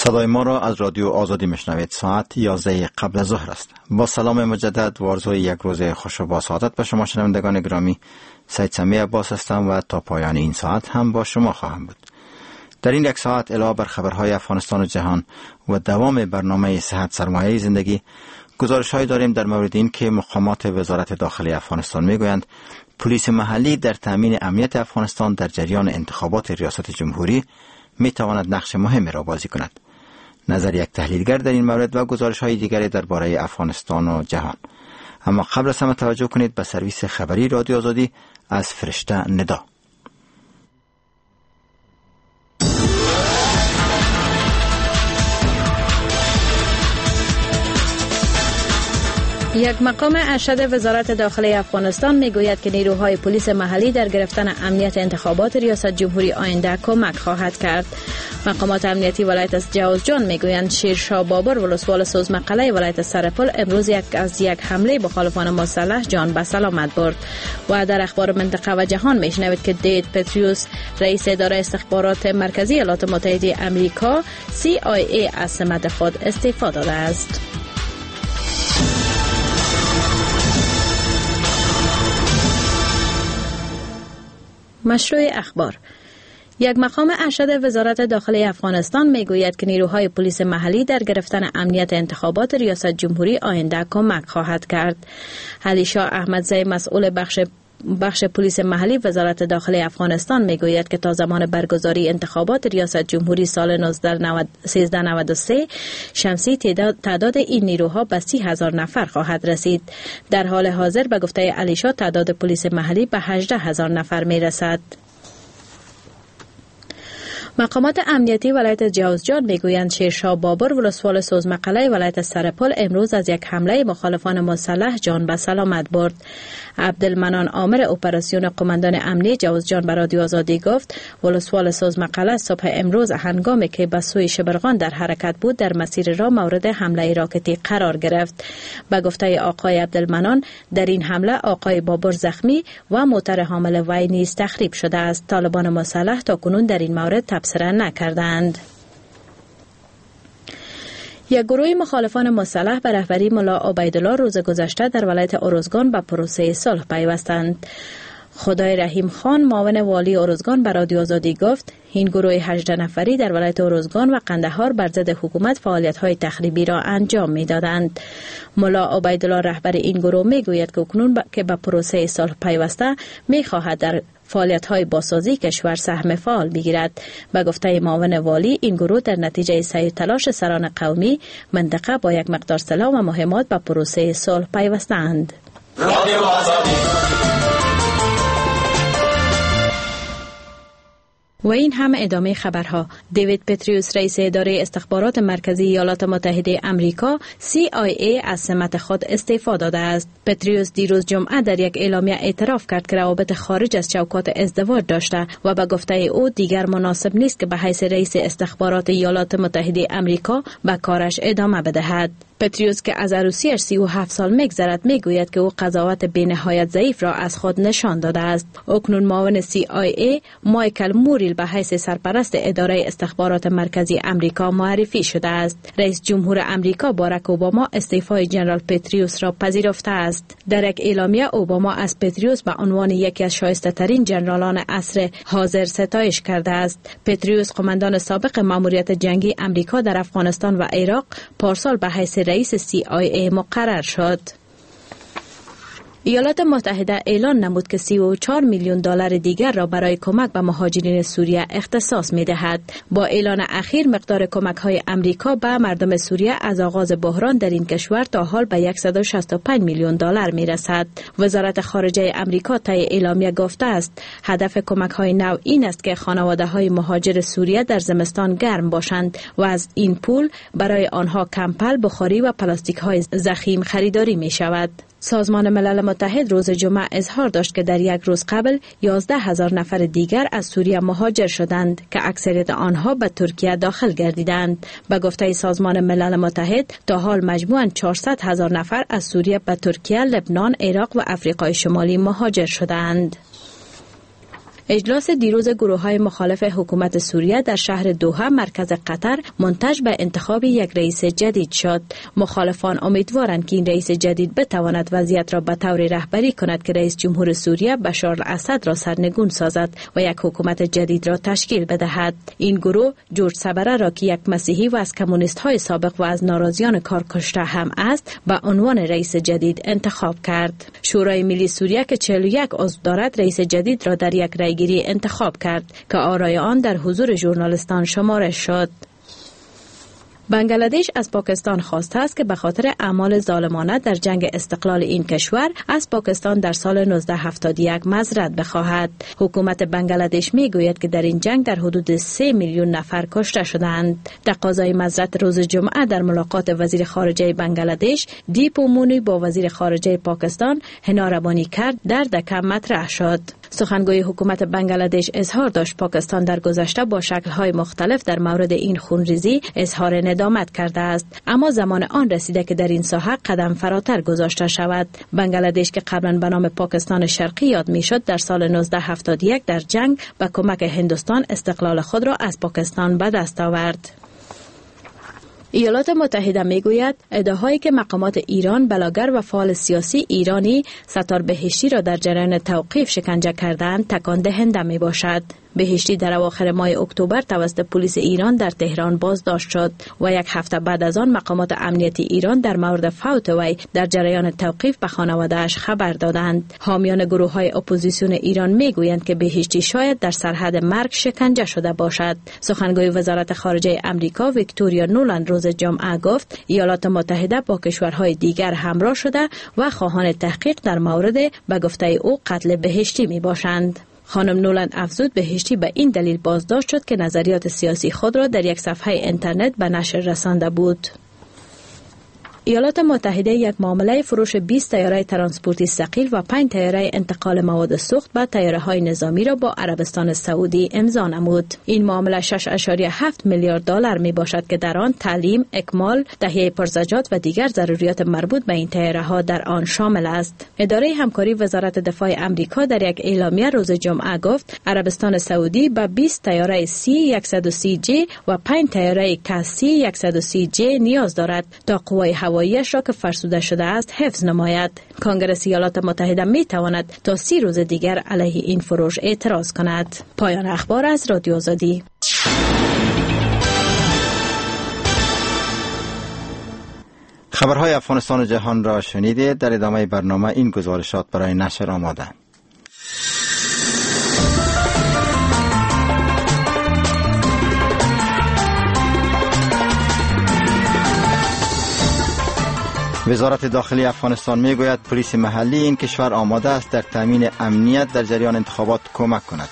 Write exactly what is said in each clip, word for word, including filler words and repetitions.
صدای ما را از رادیو آزادی میشنوید. ساعت یازده قبل از ظهر است. با سلام مجدد و آرزوی یک روز خوش و با سعادت به شما شنوندگان گرامی، سید سمیع عباس هستم و تا پایان این ساعت هم با شما خواهم بود. در این یک ساعت علاوه بر خبرهای افغانستان و جهان و دوام برنامه صحت سرمایه زندگی، گزارش‌هایی داریم در مورد این که مقامات وزارت داخلی افغانستان میگویند پلیس محلی در تامین امنیت افغانستان در جریان انتخابات ریاست جمهوری میتواند نقش مهمی را بازی کند. نظر یک تحلیلگر در این مورد و گزارش‌های دیگری درباره افغانستان و جهان. اما قبل از همه توجه کنید به سرویس خبری رادیو آزادی از فرشته ندا. یک مقام ارشد وزارت داخله افغانستان میگوید که نیروهای پلیس محلی در گرفتن امنیت انتخابات ریاست جمهوری آینده کمک خواهد کرد. مقامات امنیتی ولایت از جوزجان میگویند شیرشاه بابر ولسوال سوزمقله ولایت سرپل امروز یک از یک حمله مخالفان مسلح جان به سلامت برد. و در اخبار منطقه و جهان میشنوید که دیوید پتریوس رئیس اداره استخبارات مرکزی ایالات متحده آمریکا سی آی ای از سمت خود استعفا داده است. مشروع اخبار. یک مقام ارشد وزارت داخله افغانستان میگوید که نیروهای پلیس محلی در گرفتن امنیت انتخابات ریاست جمهوری آینده کمک خواهد کرد. علیشاه احمدزی مسئول بخش بخش پلیس محلی وزارت داخله افغانستان میگوید که تا زمان برگزاری انتخابات ریاست جمهوری سال سیزده نود و سه شمسی تعداد این نیروها به سی هزار نفر خواهد رسید. در حال حاضر به گفته علیشا تعداد پلیس محلی به هجده هزار نفر میرسد. مقامات امنیتی ولایت جوزجان میگویند شیرشاه بابر ولسوال سوزمقله ولایت سرپل امروز از یک حمله مخالفان مسلح جان به سلامت برد. عبدالمنان آمر اپراسیون قماندان امنی جوزجان به رادیو آزادی گفت ولسوال سوزمقله صبح امروز هنگامی که به سوی شبرغان در حرکت بود در مسیر راه مورد حمله راکتی قرار گرفت. به گفته آقای عبدالمنان در این حمله آقای بابر زخمی و موتر حامل وی نیز تخریب شده است. طالبان مسلح تاکنون در این مورد تبصره نکردند. یک گروه مخالفان مسلح به رهبری ملا عبیدالله روز گذشته در ولایت ارزگان به پروسه صلح پیوستند. خدای رحیم خان معاون والی ارزگان به رادیو آزادی گفت این گروه هجده نفری در ولایت ارزگان و قندهار بر ضد حکومت فعالیت‌های تخریبی را انجام می‌دادند. ملا عبیدالله رهبر این گروه می‌گوید که اکنون که به پروسه صلح پیوسته می‌خواهد در فعالیت‌های بازسازی کشور سهم فعال بگیرد. به گفته معاون والی این گروه در نتیجه سعی تلاش سران قومی منطقه با یک مقدار سلاح و مهمات به پروسه صلح پیوستند. و این هم ادامه خبرها. دیوید پتریوس رئیس اداره استخبارات مرکزی ایالات متحده امریکا سی آی ای از سمت خود استعفا داده است. پتریوس دیروز جمعه در یک اعلامیه اعتراف کرد که روابط خارج از چوکات ازدواج داشته و به گفته او دیگر مناسب نیست که به حیث رئیس استخبارات ایالات متحده امریکا به کارش ادامه بدهد. پتریوس که از عروسیش سی و هفت سال میگذرد میگوید که او قضاوت بی‌نهایت ضعیف را از خود نشان داده است. اکنون معاون سی آی ای مایکل موریل به حیث سرپرست اداره استخبارات مرکزی امریکا معرفی شده است. رئیس جمهور امریکا باراک اوباما استعفای جنرال پتریوس را پذیرفته است. در یک اعلامیه اوباما از پتریوس به عنوان یکی از شایسته ترین جنرالان عصر حاضر ستایش کرده است. پتریوس قماندان سابق ماموریت جنگی امریکا در افغانستان و عراق پارسال به حیث رئیس سی آی ای مقرر شد. ایالات متحده اعلان نمود که سی و چهار میلیون دلار دیگر را برای کمک به مهاجرین سوریه اختصاص می دهد. با اعلان اخیر مقدار کمک های امریکا به مردم سوریه از آغاز بحران در این کشور تا حال به صد و شصت و پنج میلیون دلار می رسد. وزارت خارجه امریکا طی اعلامیه گفته است هدف کمک های نو این است که خانواده های مهاجر سوریه در زمستان گرم باشند و از این پول برای آنها کمپل، بخاری و پلاستیک های ضخیم خریداری می شود. سازمان ملل متحد روز جمعه اظهار داشت که در یک روز قبل یازده هزار نفر دیگر از سوریه مهاجر شدند که اکثریت آنها به ترکیه داخل گردیدند. به گفته سازمان ملل متحد تا حال مجموعاً چهارصد هزار نفر از سوریه به ترکیه، لبنان، عراق و افریقای شمالی مهاجر شدند. اجلاس دیروز گروه‌های مخالف حکومت سوریه در شهر دوحه مرکز قطر منتج به انتخاب یک رئیس جدید شد. مخالفان امیدوارند که این رئیس جدید بتواند وضعیت را به طور رهبری کند که رئیس جمهور سوریه بشار الاسد را سرنگون سازد و یک حکومت جدید را تشکیل بدهد. این گروه جورج صبره را که یک مسیحی و از کمونیست‌های سابق و از ناراضیان کارکشته هم است به عنوان رئیس جدید انتخاب کرد. شورای ملی سوریه که چهل و یک عضو دارد رئیس جدید را در یک رأیگیری انتخاب کرد که آرای آن در حضور ژورنالیستان شمارش شد. بنگلادش از پاکستان خواسته است که به خاطر اعمال ظالمانه در جنگ استقلال این کشور از پاکستان در سال نوزده هفتاد و یک معذرت بخواهد. حکومت بنگلادش میگوید که در این جنگ در حدود سه میلیون نفر کشته شدند. تقاضای معذرت روز جمعه در ملاقات وزیر خارجه بنگلادش دیپو مونی با وزیر خارجه پاکستان حنا ربانی کرد در دکه مطرح شد. سخنگوی حکومت بنگلادش اظهار داشت پاکستان در گذشته با شکل‌های مختلف در مورد این خونریزی اظهار ندامت کرده است، اما زمان آن رسیده که در این ساحه قدم فراتر گذاشته شود. بنگلادش که قبلا به نام پاکستان شرقی یاد میشد در سال نوزده هفتاد و یک در جنگ به کمک هندوستان استقلال خود را از پاکستان به دست آورد. ایالات متحده میگوید ادعاهایی که مقامات ایران بلاگر و فعال سیاسی ایرانی ستار بهشتی را در جریان توقیف شکنجه کردند تکان دهنده می باشد. بهشتی در اواخر ماه اکتبر توسط پلیس ایران در تهران بازداشت شد و یک هفته بعد از آن مقامات امنیتی ایران در مورد فوت وی در جریان توقیف به خانواده‌اش خبر دادند. حامیان گروه‌های اپوزیسیون ایران میگویند که بهشتی شاید در سرحد مرگ شکنجه شده باشد. سخنگوی وزارت خارجه امریکا ویکتوریا نولند روز جمعه گفت ایالات متحده با کشورهای دیگر همراه شده و خواهان تحقیق در مورد به گفته او قتل بهشتی میباشند. خانم نولند افزود بهشتی به این دلیل بازداشت شد که نظریات سیاسی خود را در یک صفحه اینترنت به نشر رسانده بود. ایالات متحده یک معامله فروش بیست طیاره ترانسپورتی ثقیل و پنج طیاره انتقال مواد سوخت به طیاره‌های نظامی را با عربستان سعودی امضا نمود. این معامله شش اعشاریه هفت میلیارد دلار می باشد که در آن تعلیم، اکمال، تهیه پرزجات و دیگر ضروریات مربوط به این طیاره‌ها در آن شامل است. اداره همکاری وزارت دفاع امریکا در یک اعلامیه روز جمعه گفت عربستان سعودی به بیست طیاره سی صد و سی جی و پنج طیاره ک سی صد و سی جی نیاز دارد تا قوای هواییش را که فرسوده شده است حفظ نماید. کانگرس ایالات متحده می تواند تا سی روز دیگر علیه این فروش اعتراض کند. پایان اخبار از رادیو آزادی. خبرهای افغانستان و جهان را شنیدید. در ادامه برنامه این گزارشات برای نشر آماده. وزارت داخلی افغانستان میگوید پلیس محلی این کشور آماده است در تامین امنیت در جریان انتخابات کمک کند.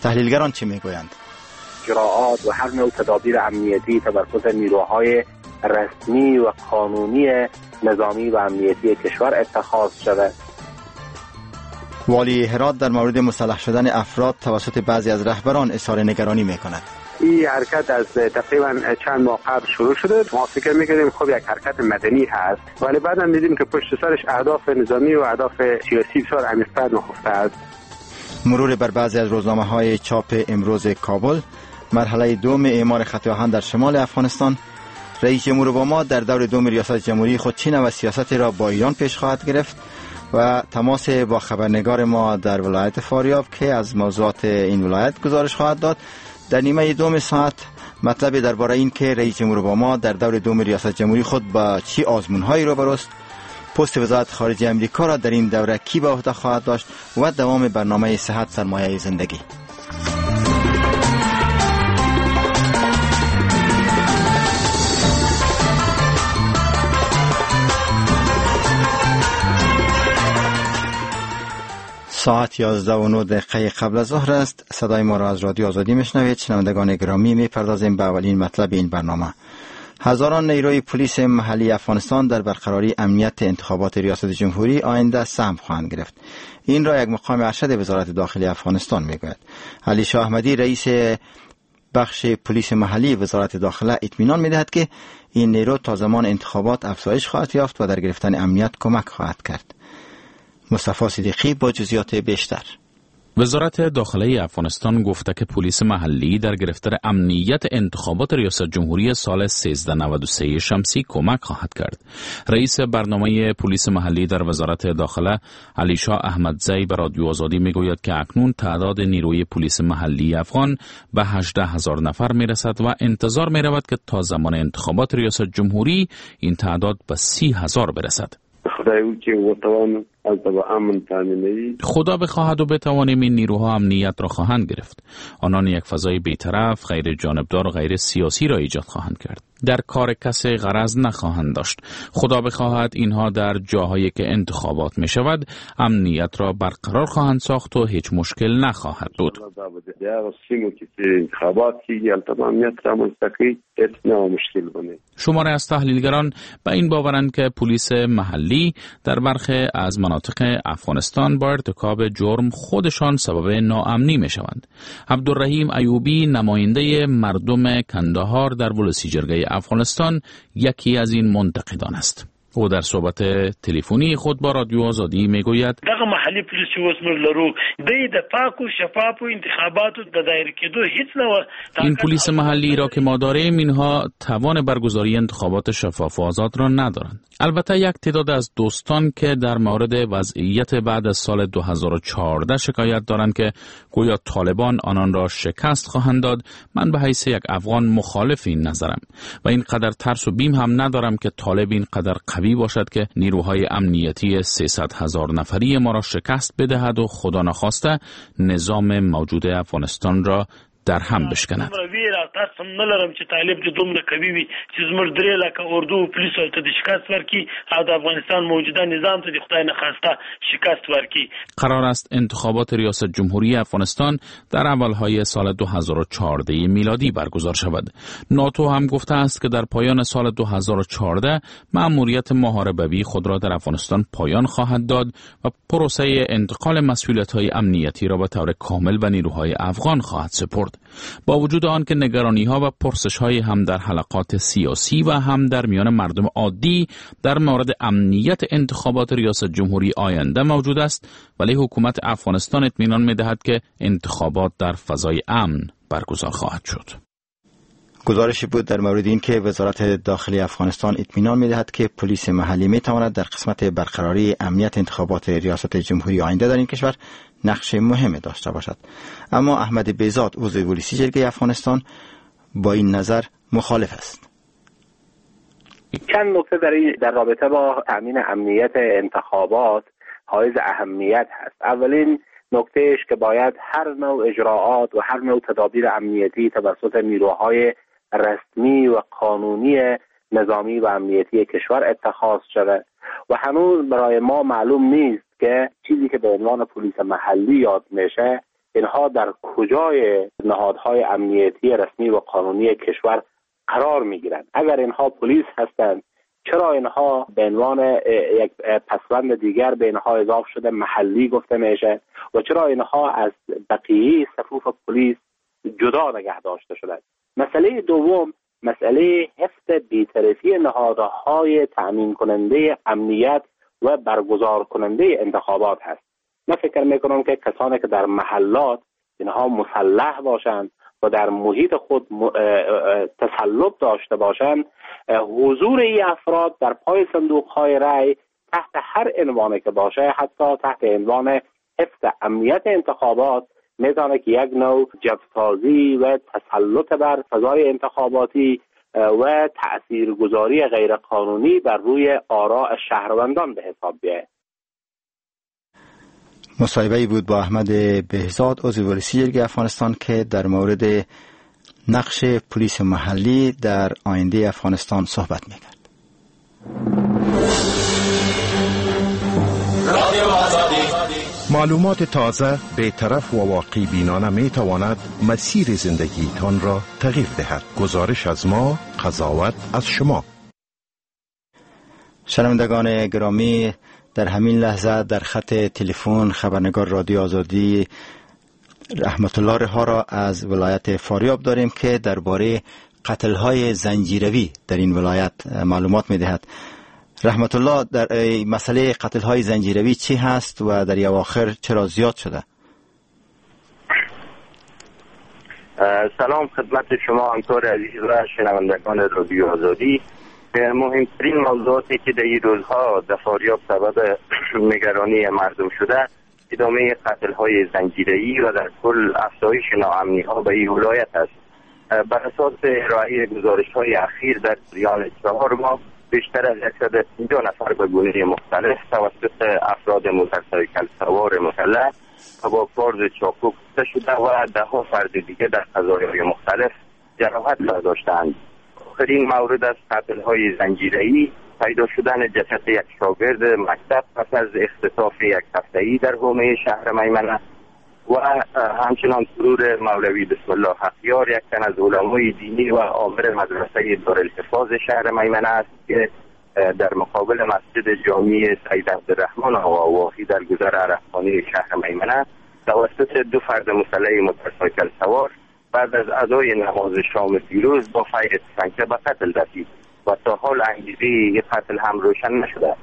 تحلیلگران چه میگویند؟ اجراآت و هر نوع تدابیر امنیتی توسط نیروهای رسمی و قانونی نظامی و امنیتی کشور اتخاذ شود. والی هرات در مورد مسلح شدن افراد توسط بعضی از رهبران اظهار نگرانی میکند. این حرکت از تقریبا چند ماه قبل شروع شده. ما فکر می‌کردیم خب یک حرکت مدنی هست، ولی بعداً دیدیم که پشت سرش اهداف نظامی و اهداف سیاسی بسیار عمیق‌تر نهفته است. مرور بر بعضی از روزنامه‌های چاپ امروز کابل، مرحله دوم اعمار خط آهن در شمال افغانستان، رئیس جمهور اوباما در دور دوم ریاست جمهوری خود چه نوع سیاستی را با ایران پیش خواهد گرفت و تماس با خبرنگار ما در ولایت فاریاب که از موضوعات این ولایت گزارش خواهد داد. در نیمه دوم ساعت مطلب درباره این که رئیس جمهور اوباما در دور دوم ریاست جمهوری خود با چی آزمون‌هایی روبروست، پست وزارت خارجه امریکا را در این دوره کی به عهده خواهد داشت و دوام برنامه صحت سرمایه زندگی. ساعت یازده و نه دقیقه قبل از ظهر است. صدای ما را از رادیو آزادی میشنوید. شنوندگان گرامی، میپردازیم به اولین مطلب این برنامه. هزاران نیروی پلیس محلی افغانستان در برقراری امنیت انتخابات ریاست جمهوری آینده سهم خواهند گرفت. این را یک مقام ارشد وزارت داخلی افغانستان میگوید. علی شاه احمدی رئیس بخش پلیس محلی وزارت داخله اطمینان میدهد که این نیرو تا زمان انتخابات افزایش خواهد یافت و در گرفتن امنیت کمک خواهد کرد. مصطفی صدیقی با جزئیات بیشتر. وزارت داخله افغانستان گفته که پلیس محلی در گرفتن امنیت انتخابات ریاست جمهوری سال سیزده نود و سه شمسی کمک خواهد کرد. رئیس برنامه پلیس محلی در وزارت داخله علیشا احمدزی به رادیو آزادی میگوید که اکنون تعداد نیروی پلیس محلی افغان به هجده هزار نفر میرسد و انتظار میرود که تا زمان انتخابات ریاست جمهوری این تعداد به سی هزار برسد. خدا بخواهد و بتوانیم این نیروها امنیت را خواهند گرفت. آنان یک فضای بی‌طرف، غیر جانبدار و غیر سیاسی را ایجاد خواهند کرد. در کار کسی غرض نخواهند داشت. خدا بخواهد اینها در جاهایی که انتخابات می شود امنیت را برقرار خواهند ساخت و هیچ مشکل نخواهد بود. شماری از تحلیلگران به این باورند که پلیس محلی در برخی از مناطق افغانستان با ارتکاب جرم خودشان سبب ناامنی می شوند. عبدالرحیم ایوبی، نماینده مردم کندهار در ولسی جرگه افغانستان، یکی از این منتقدان است. او در صحبت تلفنی خود با رادیو آزادی میگوید: دغه محلی پولیس چې اوس موږ لرو د پاکو شفافو انتخاباتو د دایر کېدو هیڅ نه. این پلیس محلی را که ما داریم، اینها توان برگزاری انتخابات شفاف و آزاد را ندارند. البته یک تعداد از دوستان که در مورد وضعیت بعد از سال دو هزار و چهارده شکایت دارند که گویا طالبان آنان را شکست خواهند داد، من به حیث یک افغان مخالف این نظرم و اینقدر ترس و بیم هم ندارم که طالب اینقدر قوی باشد که نیروهای امنیتی سیصد هزار نفری ما را شکست بدهد و خدا نخواسته نظام موجود افغانستان را در هم بشکند. قرار است انتخابات ریاست جمهوری افغانستان در اولهای سال دو هزار و چهارده میلادی برگزار شود. ناتو هم گفته است که در پایان سال دو هزار و چهارده مأموریت محاربوی خود را در افغانستان پایان خواهد داد و پروسه انتقال مسئولیت‌های امنیتی را به طور کامل به نیروهای افغان خواهد سپرد. با وجود آن که نگرانی‌ها و پرسش‌های هم در حلقات سیاسی و هم در میان مردم عادی در مورد امنیت انتخابات ریاست جمهوری آینده موجود است، ولی حکومت افغانستان اطمینان می‌دهد که انتخابات در فضای امن برگزار خواهد شد. گزارشی بود در مورد اینکه وزارت داخلی افغانستان اطمینان می‌دهد که پلیس محلی می‌تواند در قسمت برقراری امنیت انتخابات ریاست جمهوری آینده در این کشور نقش مهم داشته باشد. اما احمد بیزاد، عضو ولسی جرگه افغانستان، با این نظر مخالف است. چند نکته در در رابطه با تامین امنیت انتخابات حائز اهمیت هست. اولین نکتهش که باید هر نوع اجراعات و هر نوع تدابیر امنیتی توسط نیروهای رسمی و قانونی نظامی و امنیتی کشور اتخاذ شود و هنوز برای ما معلوم نیست که چیزی که به عنوان پلیس محلی یاد میشه اینها در کجای نهادهای امنیتی رسمی و قانونی کشور قرار میگیرند. اگر اینها پلیس هستند، چرا اینها به عنوان یک پسوند دیگر به اینها اضافه شده محلی گفته میشه و چرا اینها از بقیه صفوف پلیس جدا نگه داشته شدند؟ مسئله دوم، مسئله حفظ بی‌طرفی نهادهای تأمین کننده امنیت و برگزار کننده انتخابات هست. من فکر میکنم که کسانی که در محلات اینها مسلح باشند و در محیط خود تسلط داشته باشند، حضور این افراد در پای صندوق‌های رای تحت هر عنوانی که باشه، حتی تحت عنوان حفظ امنیت انتخابات، میتونه که یک نوع جبسازی و تسلط بر فضای انتخاباتی و تأثیرگذاری غیرقانونی بر روی آراء شهروندان به حساب بیاید. مصاحبه‌ای بود با احمد بهزاد، عضو ولسی جرگه افغانستان، که در مورد نقش پلیس محلی در آینده افغانستان صحبت میکرد. معلومات تازه، بی‌طرف و واقع بینانه می تواند مسیر زندگیتان را تغییر دهد. گزارش از ما، قضاوت از شما. شنوندگان گرامی، در همین لحظه در خط تلفن خبرنگار رادیو آزادی رحمت الله رها را از ولایت فاریاب داریم که درباره قتل‌های زنجیروی در این ولایت معلومات می‌دهد. رحمت الله، در مسئله قتل‌های زنجیروی چی هست و در اواخر چرا زیاد شده؟ سلام خدمت شما همکار عزیز و شنوندگان رادیو آزادی. مهمترین موضوعاتی که در این روزها در فاریاب سبب نگرانی مردم شده ادامه قتل‌های زنجیره‌ای و در کل افزایش ناامنی‌ها به این ولایت است. بر اساس ارائه گزارش‌های اخیر در جریان چهار ماه بیشتر از صد و پنجاه نفر به گونه مختلف توسط افراد موتورسایکل سوار مسلح و با کارد چاقو کشته شده و ده ها فرد دیگه در قضایای مختلف جراحت برداشتند. آخرین مورد از قتل‌های زنجیره‌ای پیدا شدن جسد یک شاگرد مکتب پس از اختطاف یک هفته‌ای در حومه شهر میمنه و همچنان ترور مولوی بسم الله حقیار، یک تن از علمای دینی و آمر مدرسه دارالحفاظ شهر میمنه است که در مقابل مسجد جامع سید عبدالرحمن آقا واحی در گذر عرفخانه شهر میمنه توسط دو فرد مسلح موتورسایکل سوار بعد از ادای نماز شام دیروز با فیر تفنگچه به قتل رسید و تا حال انگیزه قتل هم روشن نشده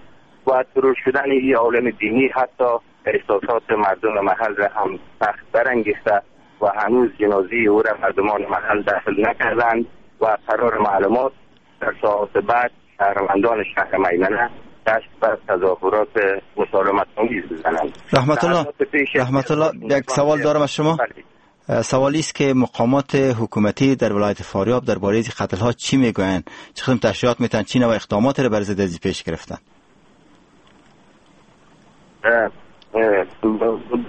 و ترور شدن این عالم دینی حتی احساسات مردم محل را هم سخت برانگیخته و هنوز جنازه او را مردمان محل دفن نکردند و قرار معلومات در ساعات بعد شهروندان شهر میمنه دست بر تظاهرات مسالمت آمیز بزنند. رحمت الله رحمت الله یک سوال دارم از شما. سوالی است که مقامات حکومتی در ولایت فاریاب درباره این قتل ها چی میگویند؟ چه قسم تشریحات میتن؟ چی نوع اقدامات را بر ضد از پیش گرفتن؟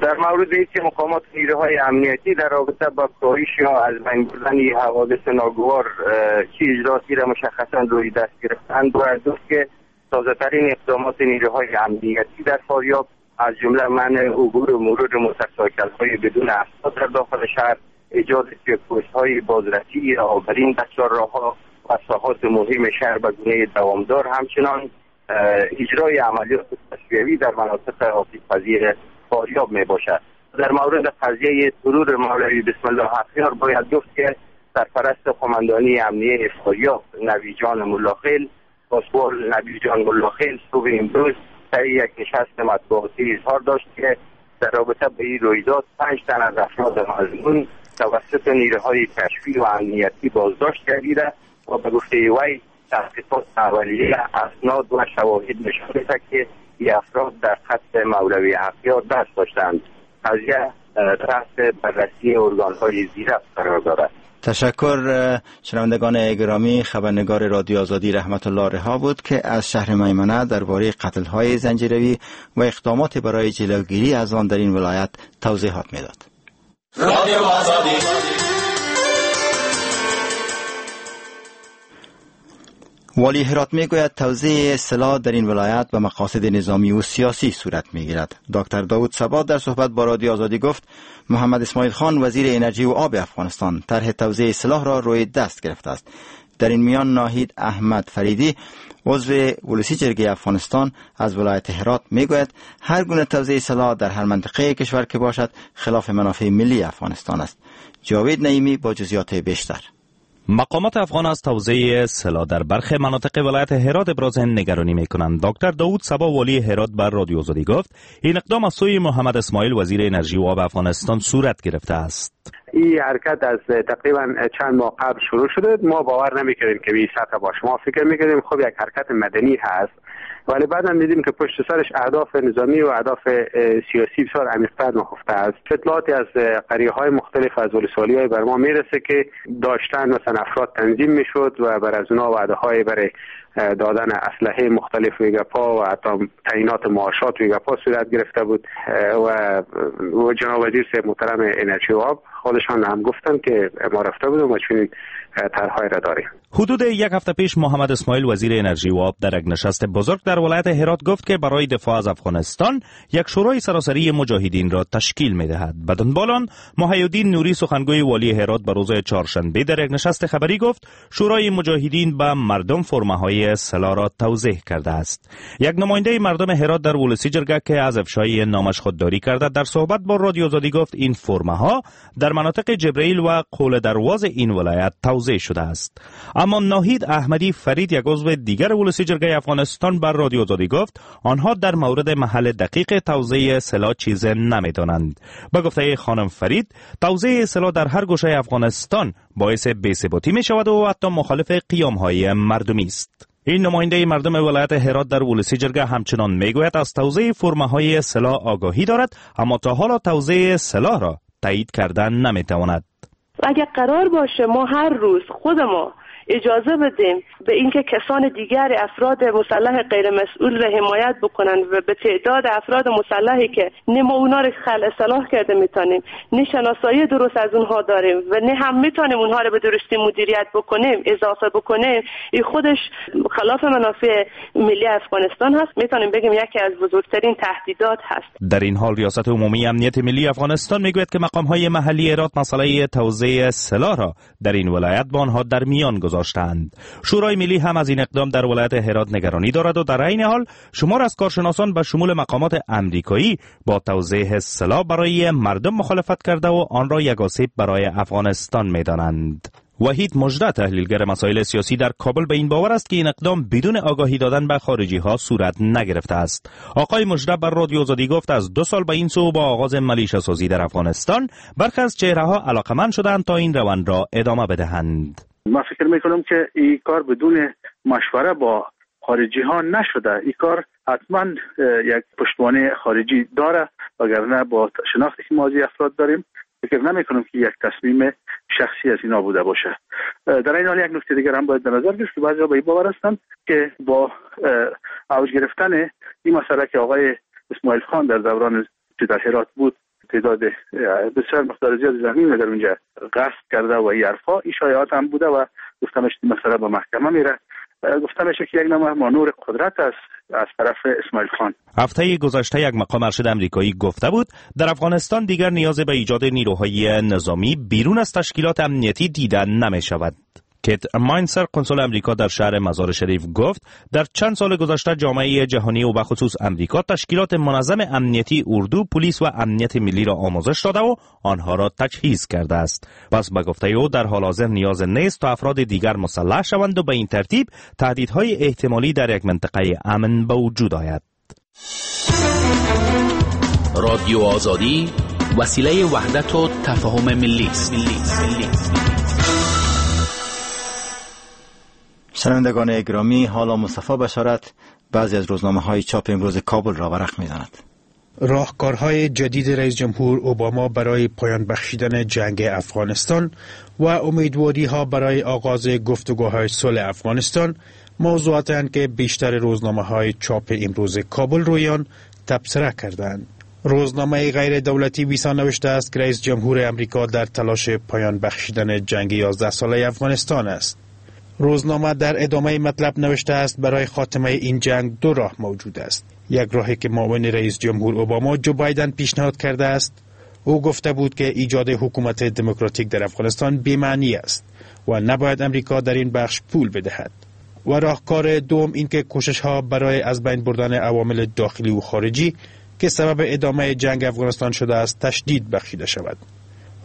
در مورد اینکه مقامات نیروهای امنیتی در رابطه با کاهش یا از بین بردن حوادث ناگوار چه اجراعاتی را مشخصا روی دست گرفتند، باید گفت که تازه‌ترین اقدامات نیروهای امنیتی در فاریاب از جمله منع عبور و مرور موتورسایکل‌های بدون اسناد در داخل شهر، ایجاد چک‌پست‌های بازرسی آبرین در چهارراه‌ها و ساحات مهم شهر به گونه دوامدار، همچنان اجرای عملیات تصفیوی در مناطق آسیب‌پذیر فاریاب می باشد. در مورد قضیه ترور مولوی بسم الله حقیار باید گفت که سرپرست قماندانی امنیه فاریاب نبی جان ملاخیل پاسوال نبی جان ملاخیل صبح امروز در یک نشست مطبوعاتی اظهار داشت که در رابطه به این رویداد پنج تن از افراد مظنون توسط نیروهای کشفی و امنیتی بازداشت گردیده و به گفته وی تحقیقات اولیه اسناد و شواهد نشان می‌دهد که این افراد در قتل مولوی حقیار دست داشتند. قضیه تحت بررسی ارگان‌های ذیربط قرار دارد. تشکر. شنوندگان گرامی، خبرنگار رادیو آزادی رحمت الله رها بود که از شهر میمنه درباره قتل‌های زنجیروی و اقدامات برای جلوگیری از آن در این ولایت توضیحات میداد. رادیو آزادی. والی هرات میگوید توزیع سلاح در این ولایت به مقاصد نظامی و سیاسی صورت میگیرد. دکتر داود صبا در صحبت با رادیو آزادی گفت محمد اسماعیل خان وزیر انرژی و آب افغانستان طرح توزیع سلاح را روی دست گرفته است. در این میان ناهید احمد فریدی عضو ولسی جرگه افغانستان از ولایت هرات میگوید هر گونه توزیع سلاح در هر منطقه کشور که باشد خلاف منافع ملی افغانستان است. جاوید نعیمی با جزئیات بیشتر. مقامات افغان از توزیع سلاح در برخی مناطق ولایت هرات ابراز نگرانی میکنند. دکتر داود صبا والی هرات بر رادیو آزادی گفت این اقدام از سوی محمد اسماعیل وزیر انرژی و آب افغانستان صورت گرفته است. این حرکت از تقریبا چند ماه قبل شروع شده. ما باور نمیکردیم که به این سطح باشه. ما فکر میکردیم خب یک حرکت مدنی هست، ولی بعدم دیدیم که پشت سرش اهداف نظامی و اهداف سیاسی بسیار عمیق‌تر نهفته است. اطلاعاتی از قریه‌های مختلف از ولسوالی‌های بر ما میرسه که داشتن مثلا افراد تنظیم میشد و بر از اونا وعده‌های برای دادن اسلحه مختلف ویگاپا و حتی تعیینات معاشات ویگاپا صورت گرفته بود و جناب وزیر صاحب محترم انرژی و آب خودشان هم گفتن که ما رفته بودیم و چنین طرح‌های را داریم. حدود یک هفته پیش محمد اسماعیل وزیر انرژی و آب در یک نشست بزرگ در ولایت هرات گفت که برای دفاع از افغانستان یک شورای سراسری مجاهدین را تشکیل می‌دهد. به دنبال آن محی‌الدین نوری سخنگوی والی هرات به روز چهارشنبه در یک نشست خبری گفت شورای مجاهدین به مردم فرم‌های سلاح را توضیح کرده است. یک نماینده مردم هرات در ولسی جرگه که از افشای نامش خودداری کرده در صحبت با رادیو آزادی گفت این فرم‌ها در در مناطق جبرئیل و قول درواز این ولایت توزیع شده است. اما ناهید احمدی فرید، یک عضو دیگر ولسی جرگه افغانستان، بر رادیو آزادی گفت آنها در مورد محل دقیق توزیع سلاح چیز نمیدانند. به گفته خانم فرید، توزیع سلاح در هر گوشه افغانستان باعث بی‌ثباتی می شود و حتی مخالف قیام های مردمی است. این نماینده مردم ولایت هرات در ولسی جرگه همچنان میگوید از توزیع فرمه های سلاح آگاهی دارد، اما تا حالا توزیع سلاح را تایید کردن نمیتواند. اگر قرار باشه ما هر روز خود ما اجازه بدیم به اینکه کسان دیگر افراد مسلح غیر مسئول را حمایت بکنن و به تعداد افراد مسلحی که نه ما اونا رو خلع سلاح کرده میتونیم، نه شناسایی درست از اونها داریم و نه هم میتونیم اونها رو به درستی مدیریت بکنیم اضافه بکنیم، این خودش خلاف منافع ملی افغانستان هست. میتونیم بگیم یکی از بزرگترین تهدیدات هست. در این حال ریاست عمومی امنیت ملی افغانستان میگوید که مقام های محلی هرات مسئله توزیع سلاح را در این ولایت با آنها در میان گذاشتند. شورای ملی هم از این اقدام در ولایت هرات نگرانی دارد و در عین حال شمار از کارشناسان به شمول مقامات امریکایی با توزیع سلاح برای مردم مخالفت کرده و آن را یک آسیب برای افغانستان می‌دانند. وحید مژده، تحلیلگر مسائل سیاسی در کابل، به این باور است که این اقدام بدون آگاهی دادن به خارجی ها صورت نگرفته است. آقای مژده بر رادیو آزادی گفت از دو سال به این سو با آغاز ملیشه سازی در افغانستان برخی از چهره ها علاقمند شدند تا این روند را ادامه بدهند. ما فکر میکنم که این کار بدون مشوره با خارجی ها نشده. این کار حتما یک پشتوانه خارجی داره، وگرنه با شناختی که ما از افراد داریم فکر نمی کنم که یک تصمیم شخصی از اینا بوده باشه. در این حال یک نکته دیگر هم باید در نظر گرفت که بعضی‌ها به این باور هستند که با اوج گرفتن این مسئله که آقای اسماعیل خان در دوران که در هرات بود تعداد بسیار مقدار زیاد زمین در اونجا غصب کرده و این حرفا، این شایعات هم بوده و گفته میشه مسئله به محکمه میره. گفته میشه که یک نوع مانور قدرت است از طرف اسماعیل خان. هفته گذشته یک مقام ارشد امریکایی گفته بود در افغانستان دیگر نیاز به ایجاد نیروهای نظامی بیرون از تشکیلات امنیتی دیده نمی شود. کیت ماینسر، کنسول امریکا در شهر مزار شریف، گفت در چند سال گذشته جامعه جهانی و به خصوص امریکا تشکیلات منظم امنیتی اردو، پلیس و امنیت ملی را آموزش داده و آنها را تجهیز کرده است. پس به گفته او در حال حاضر نیاز نیست تا افراد دیگر مسلح شوند و به این ترتیب تهدیدهای احتمالی در یک منطقه امن به وجود آید. رادیو آزادی وسیله وحدت و تفاهم ملی است. شنوندگان گرامی، حالا مصطفی بشارت بعضی از روزنامه های چاپ امروز کابل را ورق می‌زند. راهکارهای جدید رئیس جمهور اوباما برای پایان بخشیدن جنگ افغانستان و امیدواری ها برای آغاز گفتگوهای صلح افغانستان موضوعاتند که بیشتر روزنامه های چاپ امروز کابل روی آن تبصره کردند. روزنامه غیر دولتی ویسا نوشته است که رئیس جمهور امریکا در تلاش پایان بخشیدن جنگ یازده ساله افغانستان است. روزنامه در ادامه مطلب نوشته است برای خاتمه این جنگ دو راه موجود است. یک راهی که معاون رئیس جمهور اوباما جو بایدن پیشنهاد کرده است. او گفته بود که ایجاد حکومت دموکراتیک در افغانستان بی‌معنی است و نباید امریکا در این بخش پول بدهد. و راهکار دوم اینکه کوشش ها برای از بین بردن عوامل داخلی و خارجی که سبب ادامه جنگ افغانستان شده است تشدید بخشیده شود.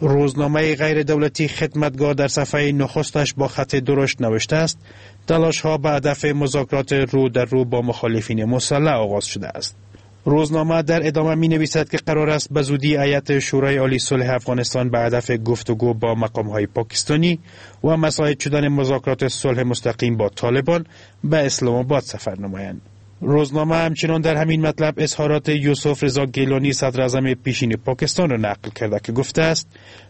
روزنامه غیر دولتی خدمتگار در صفحه نخستش با خط درشت نوشته است تلاش ها به هدف مذاکرات رو در رو با مخالفین مسلح آغاز شده است. روزنامه در ادامه می نویسد که قرار است به زودی هیئت شورای عالی صلح افغانستان به هدف گفتگو با مقام های پاکستانی و مساعد شدن مذاکرات صلح مستقیم با طالبان به اسلام آباد سفر نمایند. روزنامه همچنان در همین مطلب اظهارات یوسف رضا گیلانی، صدر اعظم پیشین پاکستان را نقل کرده که گفته است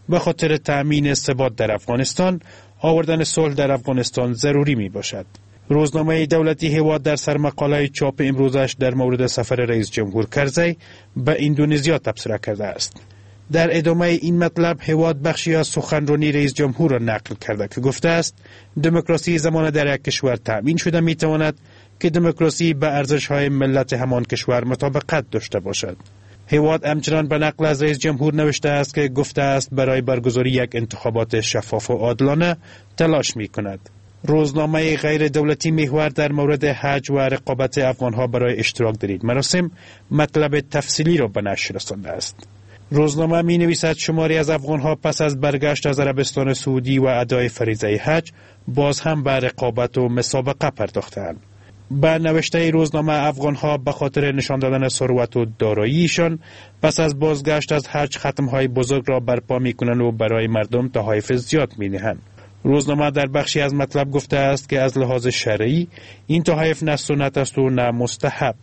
به خاطر تأمین ثبات در افغانستان آوردن صلح در افغانستان ضروری می باشد. روزنامه دولتی هیواد در سرمقاله چاپ امروزش در مورد سفر رئیس جمهور کرزی به اندونزیا تبصره کرده است. در ادامه این مطلب هیواد بخشی از سخنرانی رئیس جمهور را نقل کرده که گفته است دموکراسی زمان در یک کشور تأمین شده می تواند که دموکراسی به ارزش‌های ملت همان کشور مطابقت داشته باشد. هیواد همچنان به نقل از رئیس جمهور نوشته است که گفته است برای برگزاری یک انتخابات شفاف و عادلانه تلاش می کند. روزنامه غیر دولتی محور در مورد حج و رقابت افغانها برای اشتراک در این مراسم مطلب تفصیلی را به نشر رسانده است. روزنامه می نویسد شماری از افغانها پس از برگشت از عربستان سعودی و ادای فریضه حج باز هم به رقابت و مسابقه پرداختند. به نوشته روزنامه افغانها به خاطر نشان دادن ثروت و داراییشان پس از بازگشت از حج ختمهای بزرگ را برپا می کنند و برای مردم تحایف زیاد می نهند. روزنامه در بخشی از مطلب گفته است که از لحاظ شرعی این تحایف نه سنت است و نه مستحب.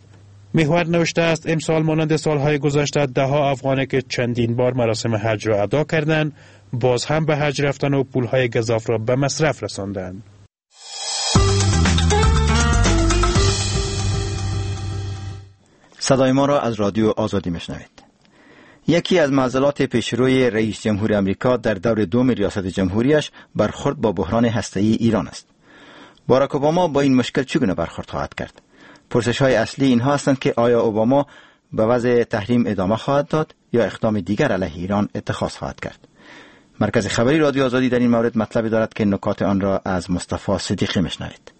محور نوشته است امسال مانند سالهای گذشته ده ها افغانی که چندین بار مراسم حج را ادا کردند باز هم به حج رفتن و پولهای گزاف را به مصرف رساندند. صدای ما را از رادیو آزادی میشنوید. یکی از معضلات پیشروی رئیس جمهور امریکا در دور دوم ریاست جمهوریش برخورد با بحران هسته‌ای ایران است. باراک اوباما با این مشکل چگونه برخورد خواهد کرد؟ پرسش‌های اصلی اینها هستند که آیا اوباما به وضع تحریم ادامه خواهد داد یا اقدام دیگر علیه ایران اتخاذ خواهد کرد؟ مرکز خبری رادیو آزادی در این مورد مطلبی دارد که نکات آن را از مصطفی صدیقی میشنوید.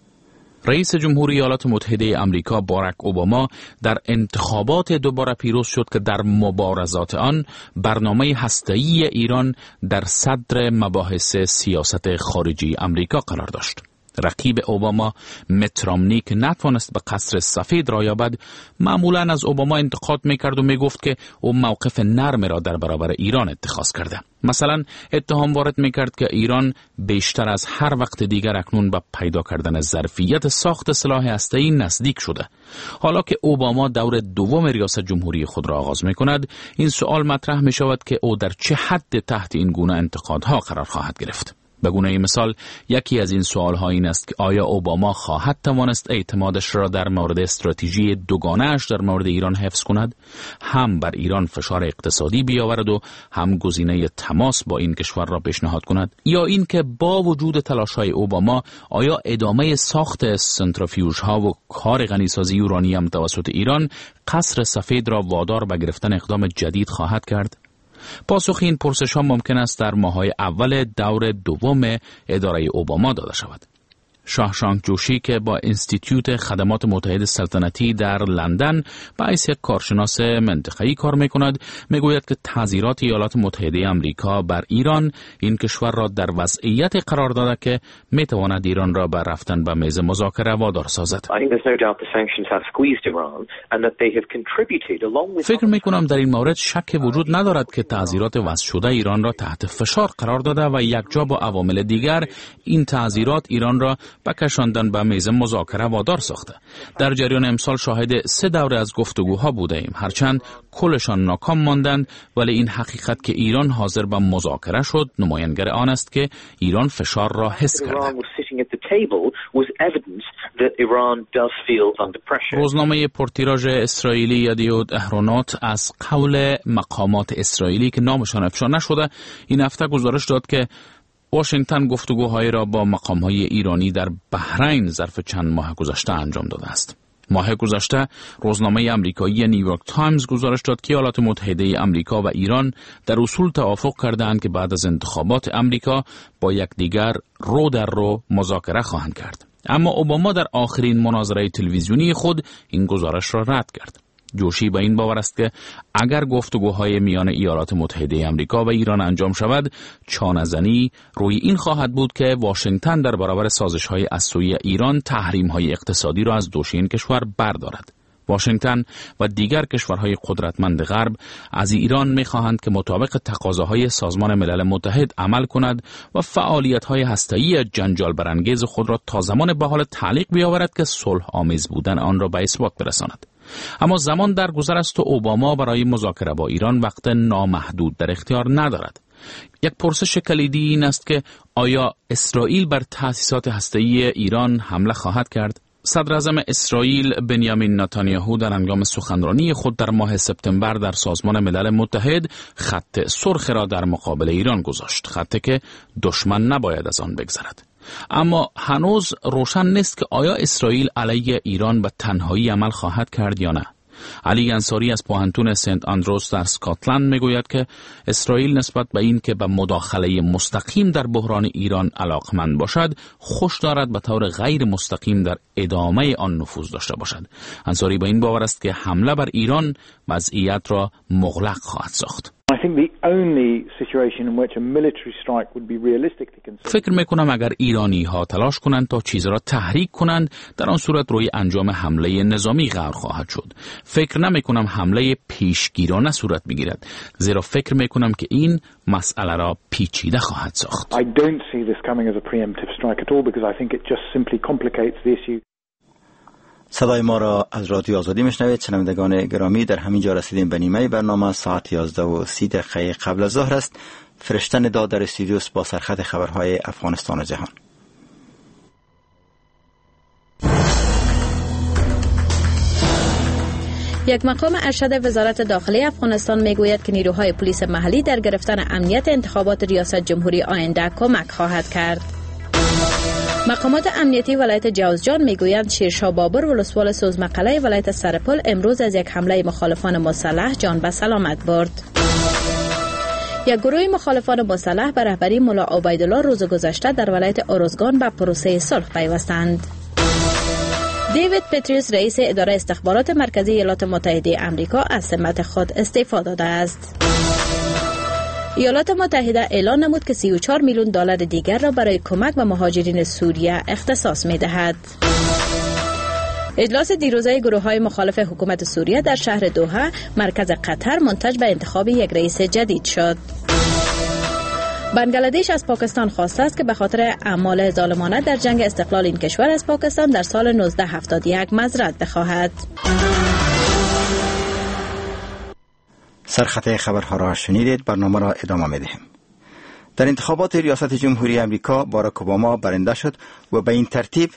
رئیس جمهوری ایالات متحده آمریکا باراک اوباما در انتخابات دوباره پیروز شد که در مبارزات آن برنامه هسته‌ای ایران در صدر مباحث سیاست خارجی آمریکا قرار داشت. رقیب اوباما مت رامنی که نتوانست به قصر سفید راه یابد، معمولاً از اوباما انتقاد میکرد و میگفت که او موقف نرم را در برابر ایران اتخاذ کرده. مثلا اتهام وارد میکرد که ایران بیشتر از هر وقت دیگر اکنون به پیدا کردن ظرفیت ساخت سلاح هسته‌ای نزدیک شده. حالا که اوباما دور دوم ریاست جمهوری خود را آغاز میکند، این سوال مطرح میشود که او در چه حد تحت این گونه انتقادها قرار خواهد گرفت. به گونه مثال یکی از این سوال‌ها این است که آیا اوباما خواهد توانست اعتمادش را در مورد استراتژی دوگانه‌اش در مورد ایران حفظ کند، هم بر ایران فشار اقتصادی بیاورد و هم گزینه تماس با این کشور را پیشنهاد کند، یا اینکه با وجود تلاش‌های اوباما آیا ادامه ساخت سنترفیوژها و کار غنیسازی اورانیم توسط ایران قصر سفید را وادار به گرفتن اقدام جدید خواهد کرد؟ پاسخ این پرسش ها ممکن است در ماه‌های اول دور دوم اداره اوباما داده شود. شاهشانک جوشی که با انستیتیوت خدمات متحد سلطنتی در لندن به حیث یک کارشناس منطقه‌ای کار می‌کند، می‌گوید که تعزیرات ایالات متحده آمریکا بر ایران این کشور را در وضعیت قرار داده که می‌تواند ایران را به رفتن به میز مذاکره وادار سازد. فکر می‌کنم در این مورد شک وجود ندارد که تعزیرات وضع شده ایران را تحت فشار قرار داده و یکجا با عوامل دیگر این تعزیرات ایران را به کشاندن به میز مذاکره وادار ساخته. در جریان امسال شاهد سه دوره از گفتگوها بوده ایم، هرچند کلشان ناکام ماندند، ولی این حقیقت که ایران حاضر به مذاکره شد نمایانگر آن است که ایران فشار را حس کرده. روزنامه پرتیراژ اسرائیلی یدیعوت احرونات از قول مقامات اسرائیلی که نامشان افشا نشده این هفته گزارش داد که واشنگتن گفتگوهایی را با مقام‌های ایرانی در بحرین ظرف چند ماه گذشته انجام داده است. ماه گذشته روزنامه امریکایی نیویورک تایمز گزارش داد که ایالات متحده امریکا و ایران در اصول توافق کردند که بعد از انتخابات امریکا با یکدیگر رو در رو مذاکره خواهند کرد. اما اوباما در آخرین مناظره تلویزیونی خود این گزارش را رد کرد. جوشی به این باور است که اگر گفتگوهای میان ایالات متحده آمریکا و ایران انجام شود، چانه‌زنی روی این خواهد بود که واشنگتن در برابر سازش‌های از سوی ایران تحریم‌های اقتصادی را از دوش این کشور بردارد. واشنگتن و دیگر کشورهای قدرتمند غرب از ایران می‌خواهند که مطابق تقاضاهای سازمان ملل متحد عمل کند و فعالیت‌های هسته‌ای جنجال برانگیز خود را تا زمان به حال تعلیق بیاورد که صلح آمیز بودن آن را به اثبات برساند. اما زمان در گذر است و اوباما برای مذاکره با ایران وقت نامحدود در اختیار ندارد. یک پرسش کلیدی این است که آیا اسرائیل بر تأسیسات هسته‌ای ایران حمله خواهد کرد؟ صدراعظم اسرائیل بنیامین نتانیاهو در هنگام سخنرانی خود در ماه سپتامبر در سازمان ملل متحد خط سرخ را در مقابل ایران گذاشت، خطی که دشمن نباید از آن بگذرد. اما هنوز روشن نیست که آیا اسرائیل علیه ایران به تنهایی عمل خواهد کرد یا نه. علی انصاری از پوهنتون سنت اندروز در اسکاتلند میگوید که اسرائیل نسبت به این که به مداخله مستقیم در بحران ایران علاقمند باشد، خوش دارد به طور غیر مستقیم در ادامه آن نفوذ داشته باشد. انصاری به این باور است که حمله بر ایران وضعیت را مغلق خواهد ساخت. فکر میکنم اگر ایرانی ها تلاش کنند تا چیز را تحریک کنند، در آن صورت روی انجام حمله نظامی غور خواهد شد. فکر نمی کنم حمله پیشگیرانه صورت بگیرد، زیرا فکر می کنم که این مسئله را پیچیده خواهد ساخت. I don't see this coming as a preemptive strike at all because I think it just simply complicates the issue. صدای ما را از رادیو آزادی میشنوید. شنوندگان گرامی، در همین جا رسیدیم به نیمه برنامه. ساعت یازده و سی دقیقه قبل از ظهر است. فرشته ندا در استودیوس با سرخط خبرهای افغانستان و جهان. یک مقام ارشد وزارت داخله افغانستان میگوید که نیروهای پلیس محلی در گرفتن امنیت انتخابات ریاست جمهوری آینده کمک خواهد کرد. مقامات امنیتی ولایت جوزجان میگویند شیرشاه بابر ولسوال سوزمقله ولایت سرپل امروز از یک حمله مخالفان مسلح جان به سلامت برد. یک گروه مخالفان مسلح به رهبری ملا عبیدالله روز گذشته در ولایت ارزگان به پروسه صلح پیوستند. دیوید پتریوس رئیس اداره استخبارات مرکزی ایالات متحده آمریکا از سمت خود استعفا داده است. ایالات متحده اعلان نمود که سی و چهار میلیون دلار دیگر را برای کمک به مهاجرین سوریه اختصاص می‌دهد. اجلاس دیروزه گروه‌های مخالف حکومت سوریه در شهر دوحه مرکز قطر منتج به انتخاب یک رئیس جدید شد. بنگلادش از پاکستان خواسته است که به خاطر اعمال ظالمانه در جنگ استقلال این کشور از پاکستان در سال نوزده هفتاد و یک معذرت بخواهد. سرخط خبرها را شنیدید. برنامه را ادامه می‌دهیم. در انتخابات ریاست جمهوری آمریکا باراک اوباما برنده شد و به این ترتیب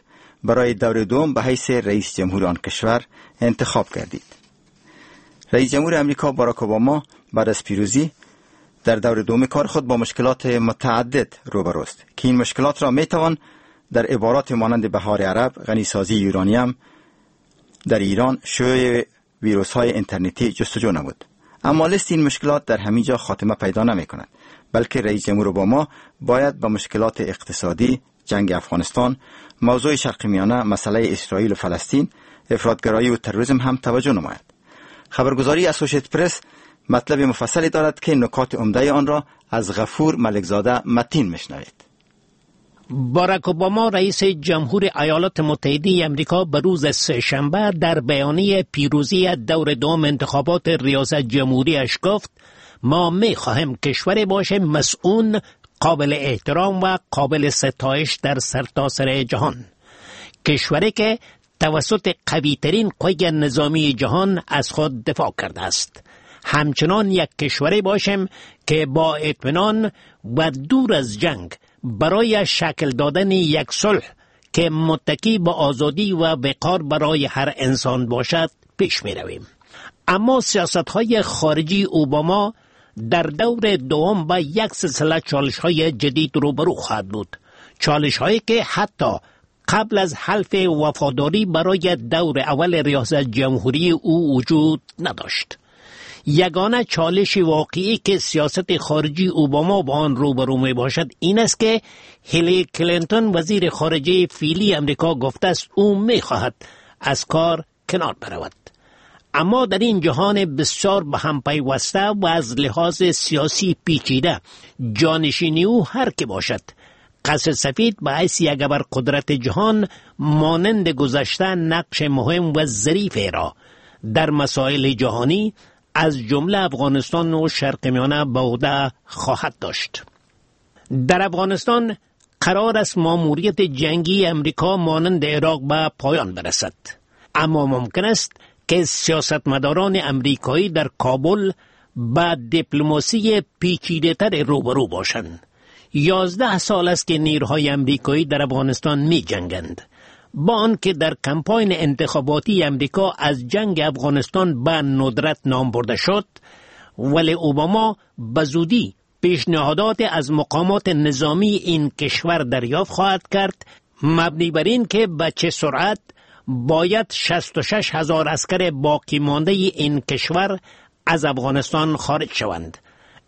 برای دور دوم به حیث رئیس جمهور آن کشور انتخاب گردید. رئیس جمهور آمریکا باراک اوباما بعد از پیروزی در دور دوم کار خود با مشکلات متعدد روبروست که این مشکلات را میتوان در عبارات مانند بهار عرب، غنیسازی یورانیم در ایران، شیوع ویروس های اینترنتی جستجو نمود. اما لیست این مشکلات در همین جا خاتمه پیدا نمی کند، بلکه رئیس جمهور اوباما باید به مشکلات اقتصادی، جنگ افغانستان، موضوع شرق میانه، مسئله اسرائیل و فلسطین، افراط‌گرایی و تروریسم هم توجه نماید. خبرگزاری اسوسییتد پرس مطلب مفصلی دارد که نکات عمده آن را از غفور ملکزاده متین میشنوید. باراک اوباما رئیس جمهور ایالات متحده آمریکا به روز سه‌شنبه در بیانیه پیروزی دور دوم انتخابات ریاست جمهوریش گفت ما می‌خواهیم کشوری باشیم مسئول، قابل احترام و قابل ستایش در سرتاسر جهان، کشوری که توسط قوی‌ترین قوه نظامی جهان از خود دفاع کرده است. همچنان یک کشوری باشیم که با اطمینان و دور از جنگ برای شکل دادن یک صلح که متکی به آزادی و وقار برای هر انسان باشد پیش می رویم. اما سیاست‌های خارجی اوباما در دور دوم با یک سلسله چالش‌های جدید روبرو خواهد بود، چالش‌هایی که حتی قبل از حلف وفاداری برای دور اول ریاست جمهوری او وجود نداشت. یگانه چالش واقعی که سیاست خارجی اوباما با آن روبرو می باشد این است که هیلاری کلینتون وزیر خارجه فعلی امریکا گفته است او می خواهد از کار کنار برود. اما در این جهان بسیار به هم پیوسته و از لحاظ سیاسی پیچیده جانشینی او هر که باشد، قصر سفید به حیث یک ابرقدرت جهان مانند گذشته نقش مهم و ظریف را در مسائل جهانی از جمله افغانستان و شرق میانه به عهده خواهد داشت. در افغانستان قرار است ماموریت جنگی امریکا مانند عراق به پایان برسد، اما ممکن است که سیاستمداران امریکایی در کابل با دیپلماسی پیچیده‌تر روبرو باشند. یازده سال است که نیروهای امریکایی در افغانستان می جنگند. با آنکه در کمپاین انتخاباتی امریکا از جنگ افغانستان به ندرت نام برده شد، ولی اوباما به زودی پیشنهادات از مقامات نظامی این کشور دریافت خواهد کرد، مبنی بر این که به چه سرعت باید شصت و شش هزار عسکر باقی مانده این کشور از افغانستان خارج شوند.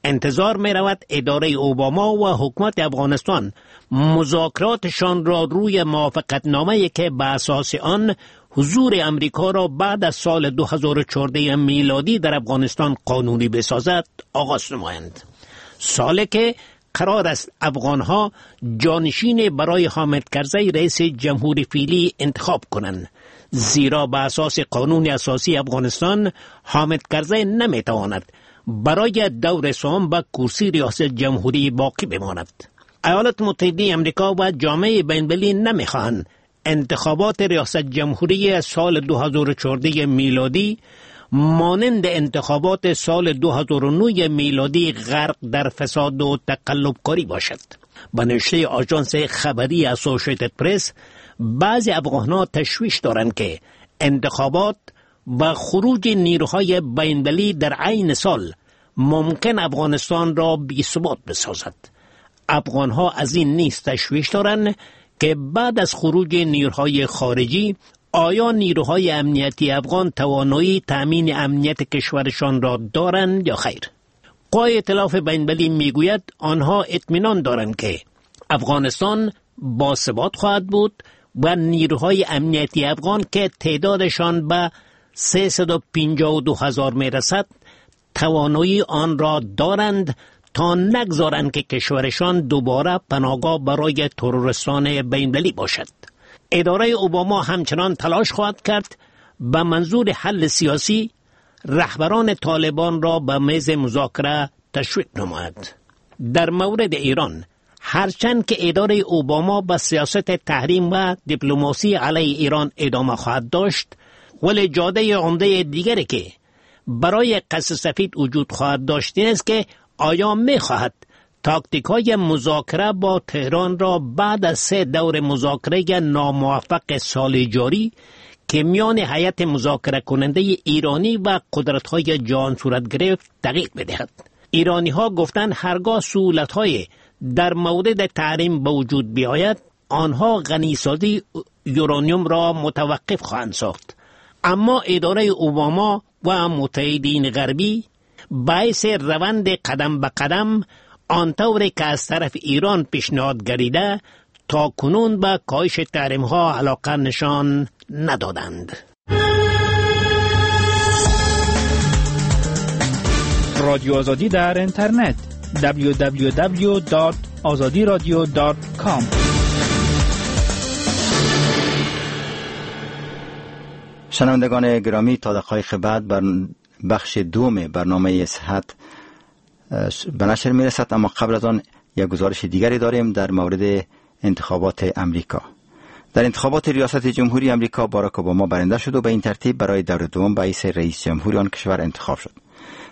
انتظار می رود اداره اوباما و حکومت افغانستان مذاکراتشان را روی موافقتنامه‌ای که به اساس آن حضور امریکا را بعد از سال دو هزار و چهارده میلادی در افغانستان قانونی بسازد آغاز نمایند. سالی که قرار است افغانها جانشین برای حامد کرزی رئیس جمهور فعلی انتخاب کنند، زیرا به اساس قانون اساسی افغانستان حامد کرزی نمیتواند برای دور سوم به کرسی ریاست جمهوری باقی بماند. ایالات متحده امریکا و جامعه بین‌المللی نمیخواهند انتخابات ریاست جمهوری سال دو هزار و چهارده میلادی مانند انتخابات سال دو هزار و نه میلادی غرق در فساد و تقلبکاری باشد. به نوشته آژانس خبری اسوسییتد پرس، بعضی افغان‌ها تشویش دارند که انتخابات و خروج نیروهای بین‌المللی در عین سال ممکن افغانستان را بی‌ثبات بسازد. افغان‌ها از این نیز تشویش دارند که بعد از خروج نیروهای خارجی آیا نیروهای امنیتی افغان توانایی تأمین امنیت کشورشان را دارند یا خیر. قوای ائتلاف بین‌المللی میگوید آنها اطمینان دارند که افغانستان باثبات خواهد بود و نیروهای امنیتی افغان که تعدادشان به سیصد و پنجاه و دو هزار میرسد توانایی آن را دارند تا نگذارند که کشورشان دوباره پناهگاه برای تروریستان بین‌المللی باشد. اداره اوباما همچنان تلاش خواهد کرد به منظور حل سیاسی رهبران طالبان را به میز مذاکره تشویق نماید. در مورد ایران، هرچند که اداره اوباما به سیاست تحریم و دیپلماسی علیه ایران ادامه خواهد داشت، ولی جاده عمده دیگری که برای قصر سفید وجود خواهد داشت این است که آیا می‌خواهد تاکتیک‌های مذاکره با تهران را بعد از سه دور مذاکره ناموفق سال جاری که میان هیئت مذاکره کننده ایرانی و قدرت‌های جهان صورت گرفت تغییر بدهد. ایرانی‌ها گفتند هرگاه سهولت‌های در مورد تحریم به وجود بیاید آنها غنی‌سازی یورانیوم را متوقف خواهند ساخت. اما اداره اوباما و متحدین غربی باعث روند قدم به قدم آنطور که از طرف ایران پیشنهاد گردیده تا کنون به کاهش تحریم ها علاقه نشان ندادند. رادیو آزادی در اینترنت دبلیو دبلیو دبلیو دات آزادی رادیو دات کام. شنوندگان گرامی، تا دقایق بعد بر بخش دوم برنامه صحت به نشر میرسد، اما قبل از آن یک گزارش دیگری داریم در مورد انتخابات امریکا. در انتخابات ریاست جمهوری امریکا باراک اوباما برنده شد و به این ترتیب برای دور دوم به حیث رئیس جمهوری آن کشور انتخاب شد.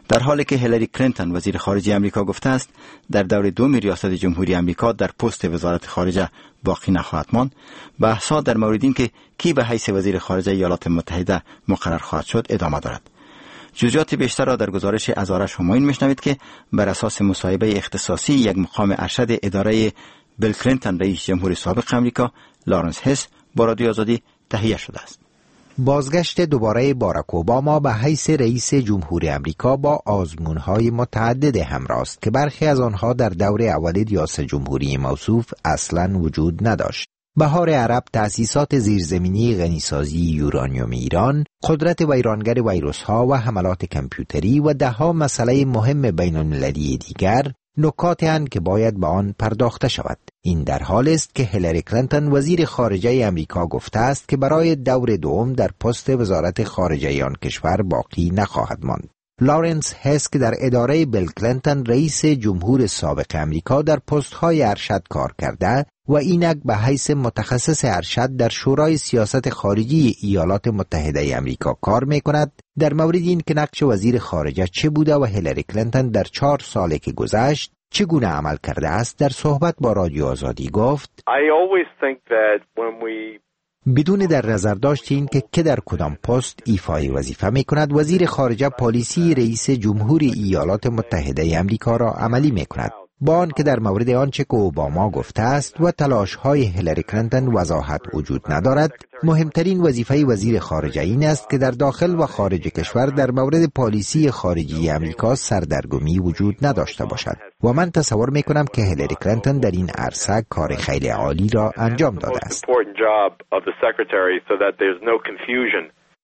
در حالی که هیلاری کلینتون وزیر خارجه امریکا گفته است در دور دوم ریاست جمهوری امریکا در پست وزارت خارجه باقی نخواهد ماند، بحث‌ها در مورد اینکه کی به حیث وزیر خارجه ایالات متحده مقرر خواهد شد ادامه دارد. جزئیات بیشتر را در گزارش از آرش همایون میشنوید که بر اساس مصاحبه اختصاصی یک مقام ارشد اداره بیل کلینتون رئیس جمهور سابق امریکا لارنس هس با رادیو آزادی تهیه شده است. بازگشت دوباره باراک اوباما به حیث رئیس جمهور امریکا با آزمون‌های متعدد همراه است که برخی از آنها در دور اول ریاست جمهوری موصوف اصلاً وجود نداشت. بهار عرب، تأسیسات زیرزمینی غنیسازی یورانیوم ایران، قدرت ویرانگر ویروس‌ها و حملات کامپیوتری و دهها مسئله مهم بین‌المللی دیگر نکاتی هستند که باید به آن پرداخته شود. این در حال است که هیلاری کلینتون وزیر خارجه امریکا گفته است که برای دور دوم در پست وزارت خارجه آن کشور باقی نخواهد ماند. لارنس هس که در اداره بیل کلینتون رئیس جمهور سابق امریکا در پست‌های ارشد کار کرده و اینک به حیث متخصص ارشد در شورای سیاست خارجی ایالات متحده امریکا کار می‌کند، در مورد این که نقش وزیر خارجه چه بوده و هیلاری کلینتون در چهار سالی که گذشت چگونه عمل کرده است، در صحبت با رادیو آزادی گفت: بدون در نظر داشت این که که در کدام پست ایفای وظیفه می کند، وزیر خارجه پالیسی رئیس جمهور ایالات متحده امریکا را عملی می کند. با آنکه در مورد آنچه که اوباما گفته است و تلاش‌های هیلاری کلینتون وضاحت وجود ندارد، مهمترین وظیفه وزیر خارجه این است که در داخل و خارج کشور در مورد پالیسی خارجی امریکا سردرگمی وجود نداشته باشد و من تصور می کنم که هیلاری کلینتون در این عرصه کار خیلی عالی را انجام داده است.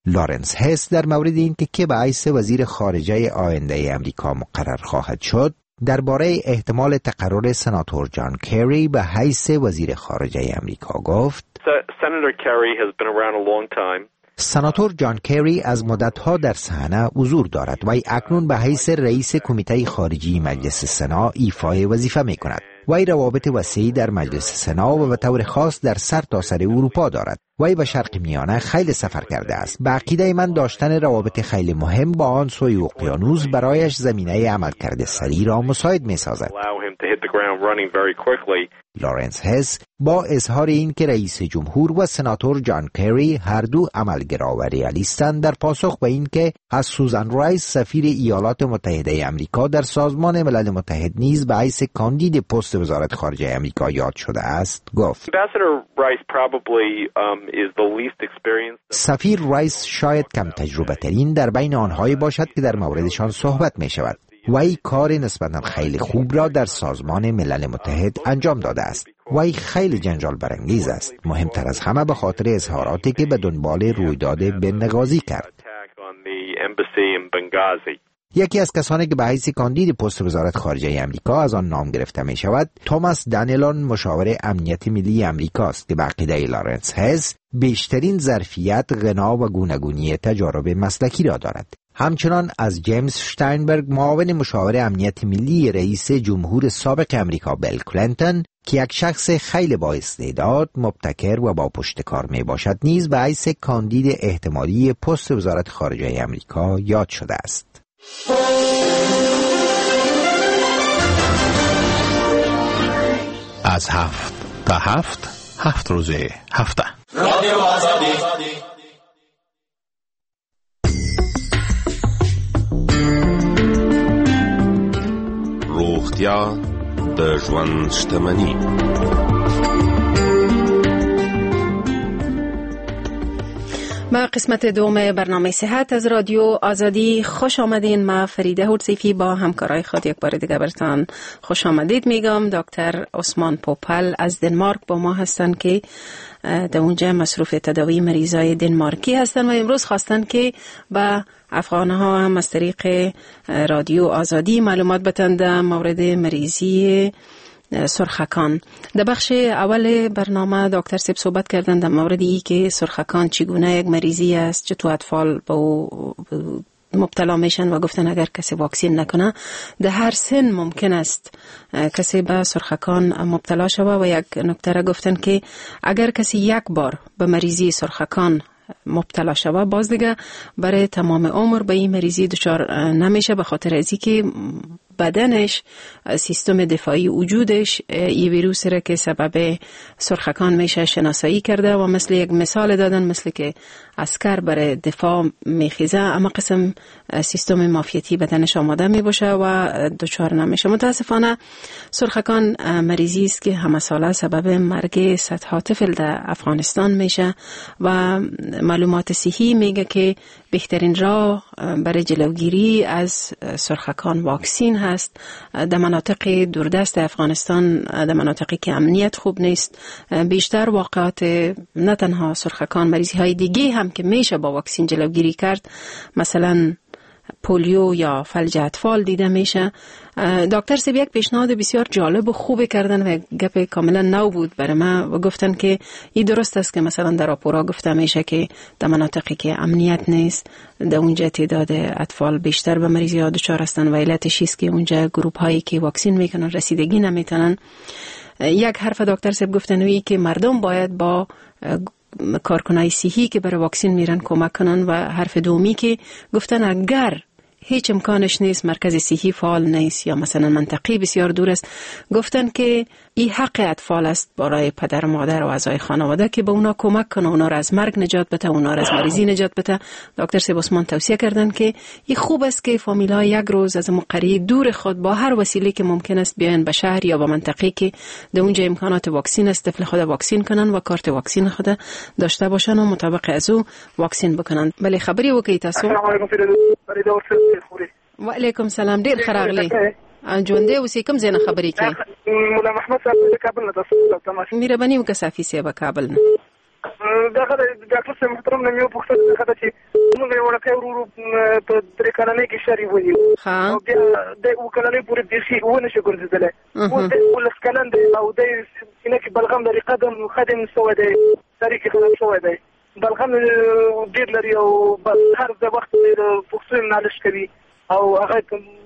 لارنس هس در مورد اینکه که به حیث وزیر خارجه آینده امریکا مقرر خواهد شد، درباره احتمال تقرر سناتور جان کری به حیث وزیر خارجه امریکا گفت: سناتور جان کری از مدتها در صحنه حضور دارد و اکنون به حیث رئیس کمیته خارجی مجلس سنا ایفای وظیفه می کند. وی روابط وسیعی در مجلس سنا و به طور خاص در سرتاسر اروپا دارد. وی به شرق میانه خیلی سفر کرده است. به عقیده من داشتن روابط خیلی مهم با آن سوی اقیانوس برایش زمینه عملکرد سریع را مساعد می سازد. لارنس هس با اظهار این که رئیس جمهور و سناتور جان کری هر دو عملگرا و ریالیستند، در پاسخ به این که از سوزان رایس سفیر ایالات متحده امریکا در سازمان ملل متحد نیز به حیث کاندید پست وزارت خارجه امریکا یاد شده است، گفت: سفیر رایس شاید کم تجربه ترین در بین آنهایی باشد که در موردشان صحبت می شود. وی کار نسبتاً خیلی خوب را در سازمان ملل متحد انجام داده است. وی خیلی جنجال برانگیز است، مهمتر از همه به خاطر اظهاراتی که به دنبال رویداد بنغازی کرد. یکی از کسانی که به حیث کاندید پست وزارت خارجه امریکا از آن نام گرفته می شود، توماس دانیلون مشاور امنیت ملی امریکا است که به عقیده لارنس هس بیشترین ظرفیت، غنا و گوناگونی تجارب مسلکی را دارد. همچنان از جیمز شتاینبرگ معاون مشاور امنیت ملی رئیس جمهور سابق امریکا بیل کلینتون که یک شخص خیلی با استعداد، مبتکر و با پشتکار می باشد نیز به حیث کاندید احتمالی پست وزارت خارجه امریکا یاد شده است. از هفت تا هفت، هفت روز هفته. رادیو آزادی. روغتیا د ژوند شتمني. ما قسمت دوم برنامه صحت از رادیو آزادی خوش آمدین. ما فریده هورسیفی با همکارای خود یک بار دیگه برتان خوش آمدید میگم. دکتر عثمان پوپل از دنمارک با ما هستن که در اونجا مصروف تداوی مریضای دنمارکی هستن و امروز خواستن که با افغانها هم از طریق رادیو آزادی معلومات بتن در مورد مریضی سرخکان. در بخش اول برنامه دکتر سیب صحبت کردن در مورد ای که سرخکان چگونه یک مریضی است، چطور اطفال با او مبتلا میشن و گفتن اگر کسی واکسین نکنه در هر سن ممکن است کسی به سرخکان مبتلا شود و یک نکته را گفتن که اگر کسی یک بار به مریضی سرخکان مبتلا شود باز دیگه برای تمام عمر به این مریضی دچار نمیشه، به خاطر ازی که بدنش سیستم دفاعی وجودش این ویروس را که سبب سرخکان میشه شناسایی کرده و مثل یک مثال دادن مثل که عسکر برای دفاع میخیزه اما قسم سیستم معافیتی بدنش آماده میباشه و دچار نمیشه. متاسفانه سرخکان مریضی است که همه ساله سبب مرگ صدها طفل در افغانستان میشه و معلومات صحی میگه که بهترین راه برای جلوگیری از سرخکان واکسین هست. در مناطق دوردست افغانستان، در مناطقی که امنیت خوب نیست، بیشتر واقعات نه تنها سرخکان، مریضی های دیگه هم که میشه با واکسین جلوگیری کرد، مثلا پولیو یا فلج اطفال دیده میشه. دکتر سیب یک پیشنهاد بسیار جالب و خوب کردن و گپ کاملا نو بود برای من و گفتن که این درست است که مثلا در راپورا گفته میشه که در مناطقی که امنیت نیست در اونجا تعداد اطفال بیشتر به مریضی ها دچار هستن و علتش است که اونجا گروپ هایی که واکسین میکنن رسیدگی نمیتونن. یک حرف دکتر سیب گفتن وی که مردم باید با کارکنای صحی که برای واکسین میرن کمک کنن و حرف دومی که گفتن اگر هیچ امکانش نیست، مرکز صحی فعال نیست یا مثلا منطقه بسیار دور است، گفتن که این حق اطفال است برای پدر و مادر و اعضای خانواده که به اونا کمک کنه، اونا را از مرگ نجات بده، اونا را از مریضی نجات بده. دکتر صاحب عثمان توصیه کردن که این خوب است که فامیل ها یک روز از قریه دور خود با هر وسیله که ممکن است بیاین به شهر یا به منطقه که در اونجا امکانات واکسین است، طفل خود واکسین کنن و کارت واکسین خود داشته باشن و مطابق از او واکسین بکنن. بله خبرې وکړئ تاسو. السلام علیکم و علیکم سلام. ډیر ښه راغلی، ژوندی اوسې. کوم ځای نه خبرې کوې؟ مولا محمد صاحب د کابل نه تاسو تماس. مهرباني وکړه صافي صاحب کابل نه. دغه ډاکټر صاحب محترم نه مې وپوښتل دغه چې موږ یو وړوکی ورور په درې کلنۍ کې شری ونیو او بیا د اووه کلنۍ پورې بیخي ونه شو ګرځېدلی. اوس دی اوولس کلن دی او دی سینه کې بلغم لري، قدم قدم سوی دی، سرې کې خراب شوی دی، بلغم ډېر لري او هر د وخت پښتو یې نالش کوي او هغه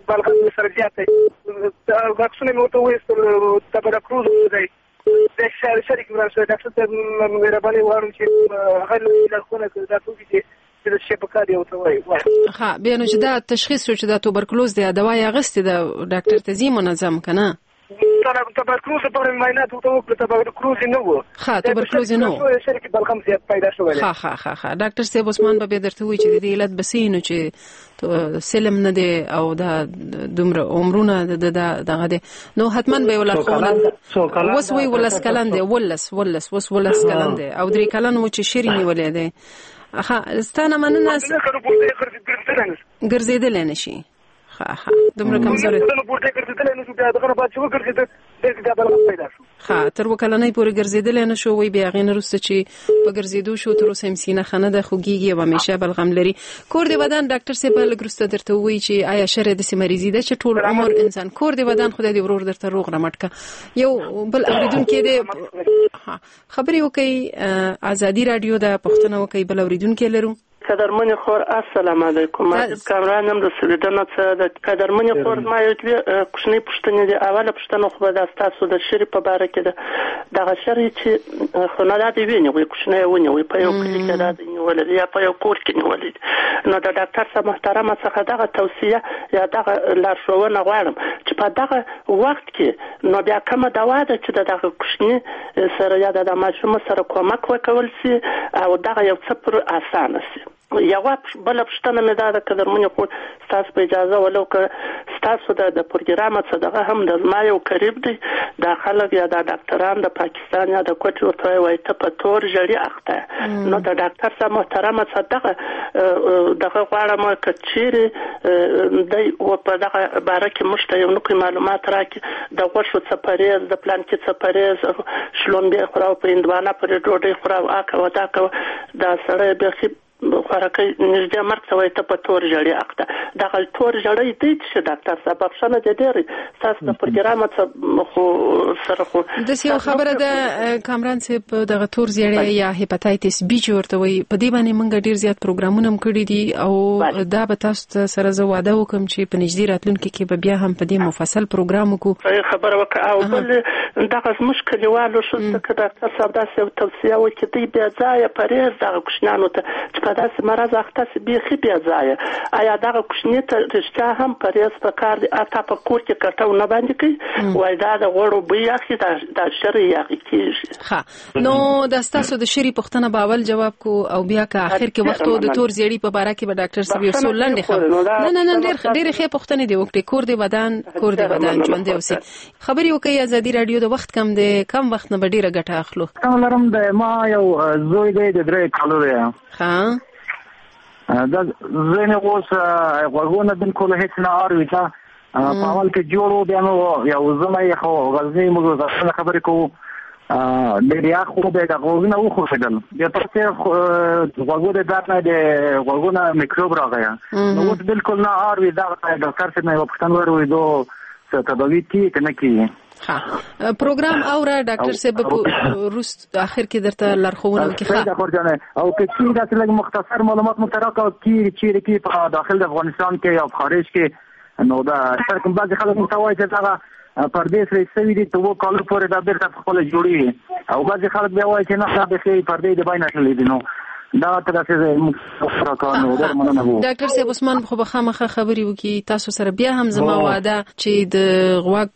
بلغم یې سره زیات دی. واکسونه مې ورته وویستل، تبرکلوز دی، د شریک وران شوی. ډاکټر صاحب مهرباني غواړم چې هغه لارښوونه کړي، دا څوک چې چې شی په کار دی ورته وایي. ښه بیا نو چې دا تشخیص شو چې دا توبرکلوز دی، دوا یې اخیستې ده، ډاکټر ته ځي منظم که نه؟ تبرکلوز لپاره مې معاینات ورته وکړل، تبرکلوز یې نه و. ښه تبرکلوز یې نه و، شریک بلغم زیات پیدا شوی دی. ښه ښه ښه ښه ډاکټر صاحب عثمان به بیا درته ووایي چې د دې علت به څه وي، نو چې سلم نه دی او دا دومره عمرونه د دغه دی، نو حتما به یې لارښوونه. اوس وایي ولس کلن دی، ولس ولس اوس ولس کلن دی او درې کلن و چې شری نیولی دی. ښه ستا نه مننه. ګرځېدلی نه شي. ښه ښه دومره کمزوری ښه تر اووه کلنۍ پورې ګرځېدلی نه شو. وایي بیا هغې نه وروسته چې په ګرځېدو شو تر اوسه یې سینه ښه نه ده، خوږېږي او همیشه بلغم لري. کور دې ودان ډاکټر صاحب به لږ وروسته درته ووایي چې آیا شری داسې مریضي ده چې ټول عمر انسان. کور دې ودان، خدای دې ورور درته روغ رمټ کړه. یو بل اورېدونکی دی، خبرې وکړئ. ازادي راډیو ده، پوښتنه وکړئ. بل اورېدونکی لرو. قدرمنې خور السلام علیکم. عزیز کامران یم د سویډن څخه. د قدرمنې خور زما یو دوې کوچنۍ پوښتنې دي. اوله پوښتنه خو به دا ستاسو د شري په باره کې ده. دغه شری چې خو نه دا دی ونیوی، کوچنی یې ونیوی، په یو کلي کې دا دی نیولی دی یا په یو کور کې نیولی دی، نو د ډاکټر صاحب محترمه څخه دغه توصیه یا دغه لارښوونه غواړم چې په دغه وخت کې نو بیا کومه دوا ده چې د دغه کوچني سره یا د ماشوم سره کومک وکول سي او دغه یو څه پر اسانه سي. یوه بله پوښتنه مې دا ده قدرمنې خور ستاسو په اجازه، ولو که ستاسو د د پروګرامه څه دغه هم د زما یو قریب دی، دا خلک یا دا ډاکټران د پاکستان یا د کوټې ورته وایي وایي ته په تور ژړي اخته، نو د ډاکټر صاحب محترمه څه دغه دغه غواړم که چیرې دی و په دغه باره کې موږ ته یو نوکی معلومات راکړي، د غوښو څه پرهېز، د پلانکي څه پرهېز، شلومبې خوره او په هندوانه پورې ډوډۍ خوره او آ کوه دا کوه، دا سړی بیخي خوراکۍ نږدې مرګ ته وایي ته په تور ژړي اخته. دغه تور ژړی دی چې ډاکټر صاحب بخښنه دې ډېره ستاسو د پروګرامه څه خو سره خو داسې یو خبره ده کامران صاحب، دغه تور زیړی یا هیپاتایتس بي چې ورته وایي، په دې باندې موږ ډېر زیات پروګرامونه هم کړي دي او دا به تاسو ته سره زه وعده وکړم چې په نږدې راتلونکي کې به بیا هم په دې مفصل پروګرام وکړو. خبره وکړه. او بل دغه زموږ کلیوالو ښځو ته که ډاکټر صاحب داسې یو توصیه وکړي، دوی بې ځایه پرهېز دغه کوچنیانو ته چې په داسې مرض اخته سي بیخي بې ځایه، آیا دغه کوچني ته رښتیا هم پرهېز په کار دی؟ اتا په کور کې کټو نه باندې کوي، وایي دا د غوړو بوی اخلي، دا دا شری یاغي کېږي. ښه نو دا ستاسو د شري پوښتنه به اول جواب کو او بیا که اخر کې وخت د تور زیړي په باره کې به ډاکټر صاحب یو څو لنډې خبرې. نه نه نه ډېر ډېرې ښې پوښتنې دې وکړې. کور دې ودان، کور دې ودان، ژوندی اوسې. خبرې وکړئ. ازادي راډیو د وخت کم دی، کم وخت نه به ډېره ګټه اخلو. لرم د ما یو زوی دی د درې کالو دی. ښه دا زوی مې اوس غوږونه بالکل هېڅ نه اوري. ته په اول کې جوړ و، بیا نو یو زما یې خو غزني موږ ځانه خبرې کوو، ډېر یخ و، بیا د غوږونه وخوښېدل، بیا پسې غوږو د درد نه د غوږونه میکروب راغی، نو اوس بالکل نه اوري. دا ډاکټر صاحب نه یوه پوښتنه وروي، دو څه تداوي کېږي که نه کېږي؟ ښه پروګرام اوره ډاکټر صاحب وروسته اخر کې درته لارښوونه وکړي. ښه او که چیرې داسې لږ مختصر معلومات مو ته راکړه چیرې چیرې کې په داخل د افغانستان کې یا په خارج کې، نو دا کوم بعضې خلک مو ته وایي چې دغه پردې سره سوي دي ته اوو کالو پورې دا بېرته په خپله جوړېږي، او بعضې خلک بیا وایي چې نه دا بیخي پردې د بینه تللې دي، نو دا تر څه ډاکټر صاحب عثمان خو به خامخا خبرې وکړي تاسو سره. بیا هم زما وعده چې د غوږ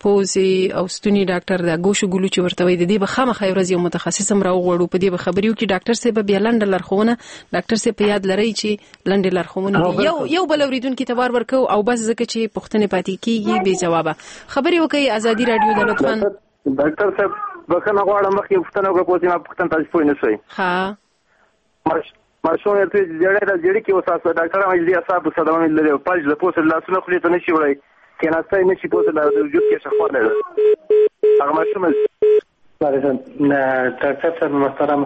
پوزې او ستوني ډاکټر د ګوشو ګلو چې ورته وایي د دې به خامخا یو ورځ یو متخصص هم راوغواړو، په دې به خبرې وکړي. ډاکټر صاحب بیا لنډه لارښوونه، ډاکټر صاحب په یاد لرئ چې لنډې لارښوونې دي. یو یو بل اورېدونکي ته وار ورکوو او بس ځکه چې پوښتنې پاتې کېږي بې ځوابه. خبرې وکړئ ازادي راډیو د لطفاً. ډاکټر صاحب بخښنه غواړم، مخکې پوښتنه وکړه پوه ما پوښتنه تاسو پوه نه شوئ. ښه ماشوم یې زیړی ده، زیړي کې اوس ډاکټر هم دې اعصابو صدمه مې لري، فلج د پوسه لاسونه خولې ته نشي وړی، کېناستی نشي، پوسه د وجود کې شخوالی ده هغه ماشوم. ډاکټر صاحب محترم،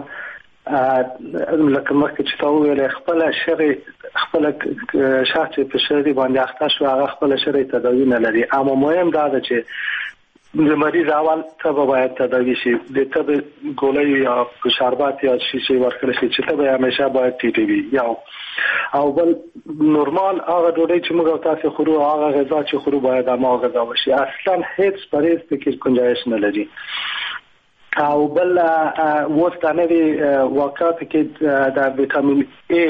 لکه مخکې چې تا وویل خپله شرې خپله شخص چې په شرې باندې اخته شو هغه خپله شرې تداوي نه لري. اما مهم دا ده چې د مریض اول تبه باید تداوی شي، د تبې ګولۍ یا شربت یا شیشه ورکړل شي چې تبه همیشه باید ټیټه وي. یو او بل نورمال هغه ډوډۍ چې موږ تاسو خورو هغه غذا چې خورو باید هماغه غذا وشي، اصلا هیڅ پرهیز پکې گنجایش نه لري. او بل اوس دا نوې واقعات کې د ویټامین ای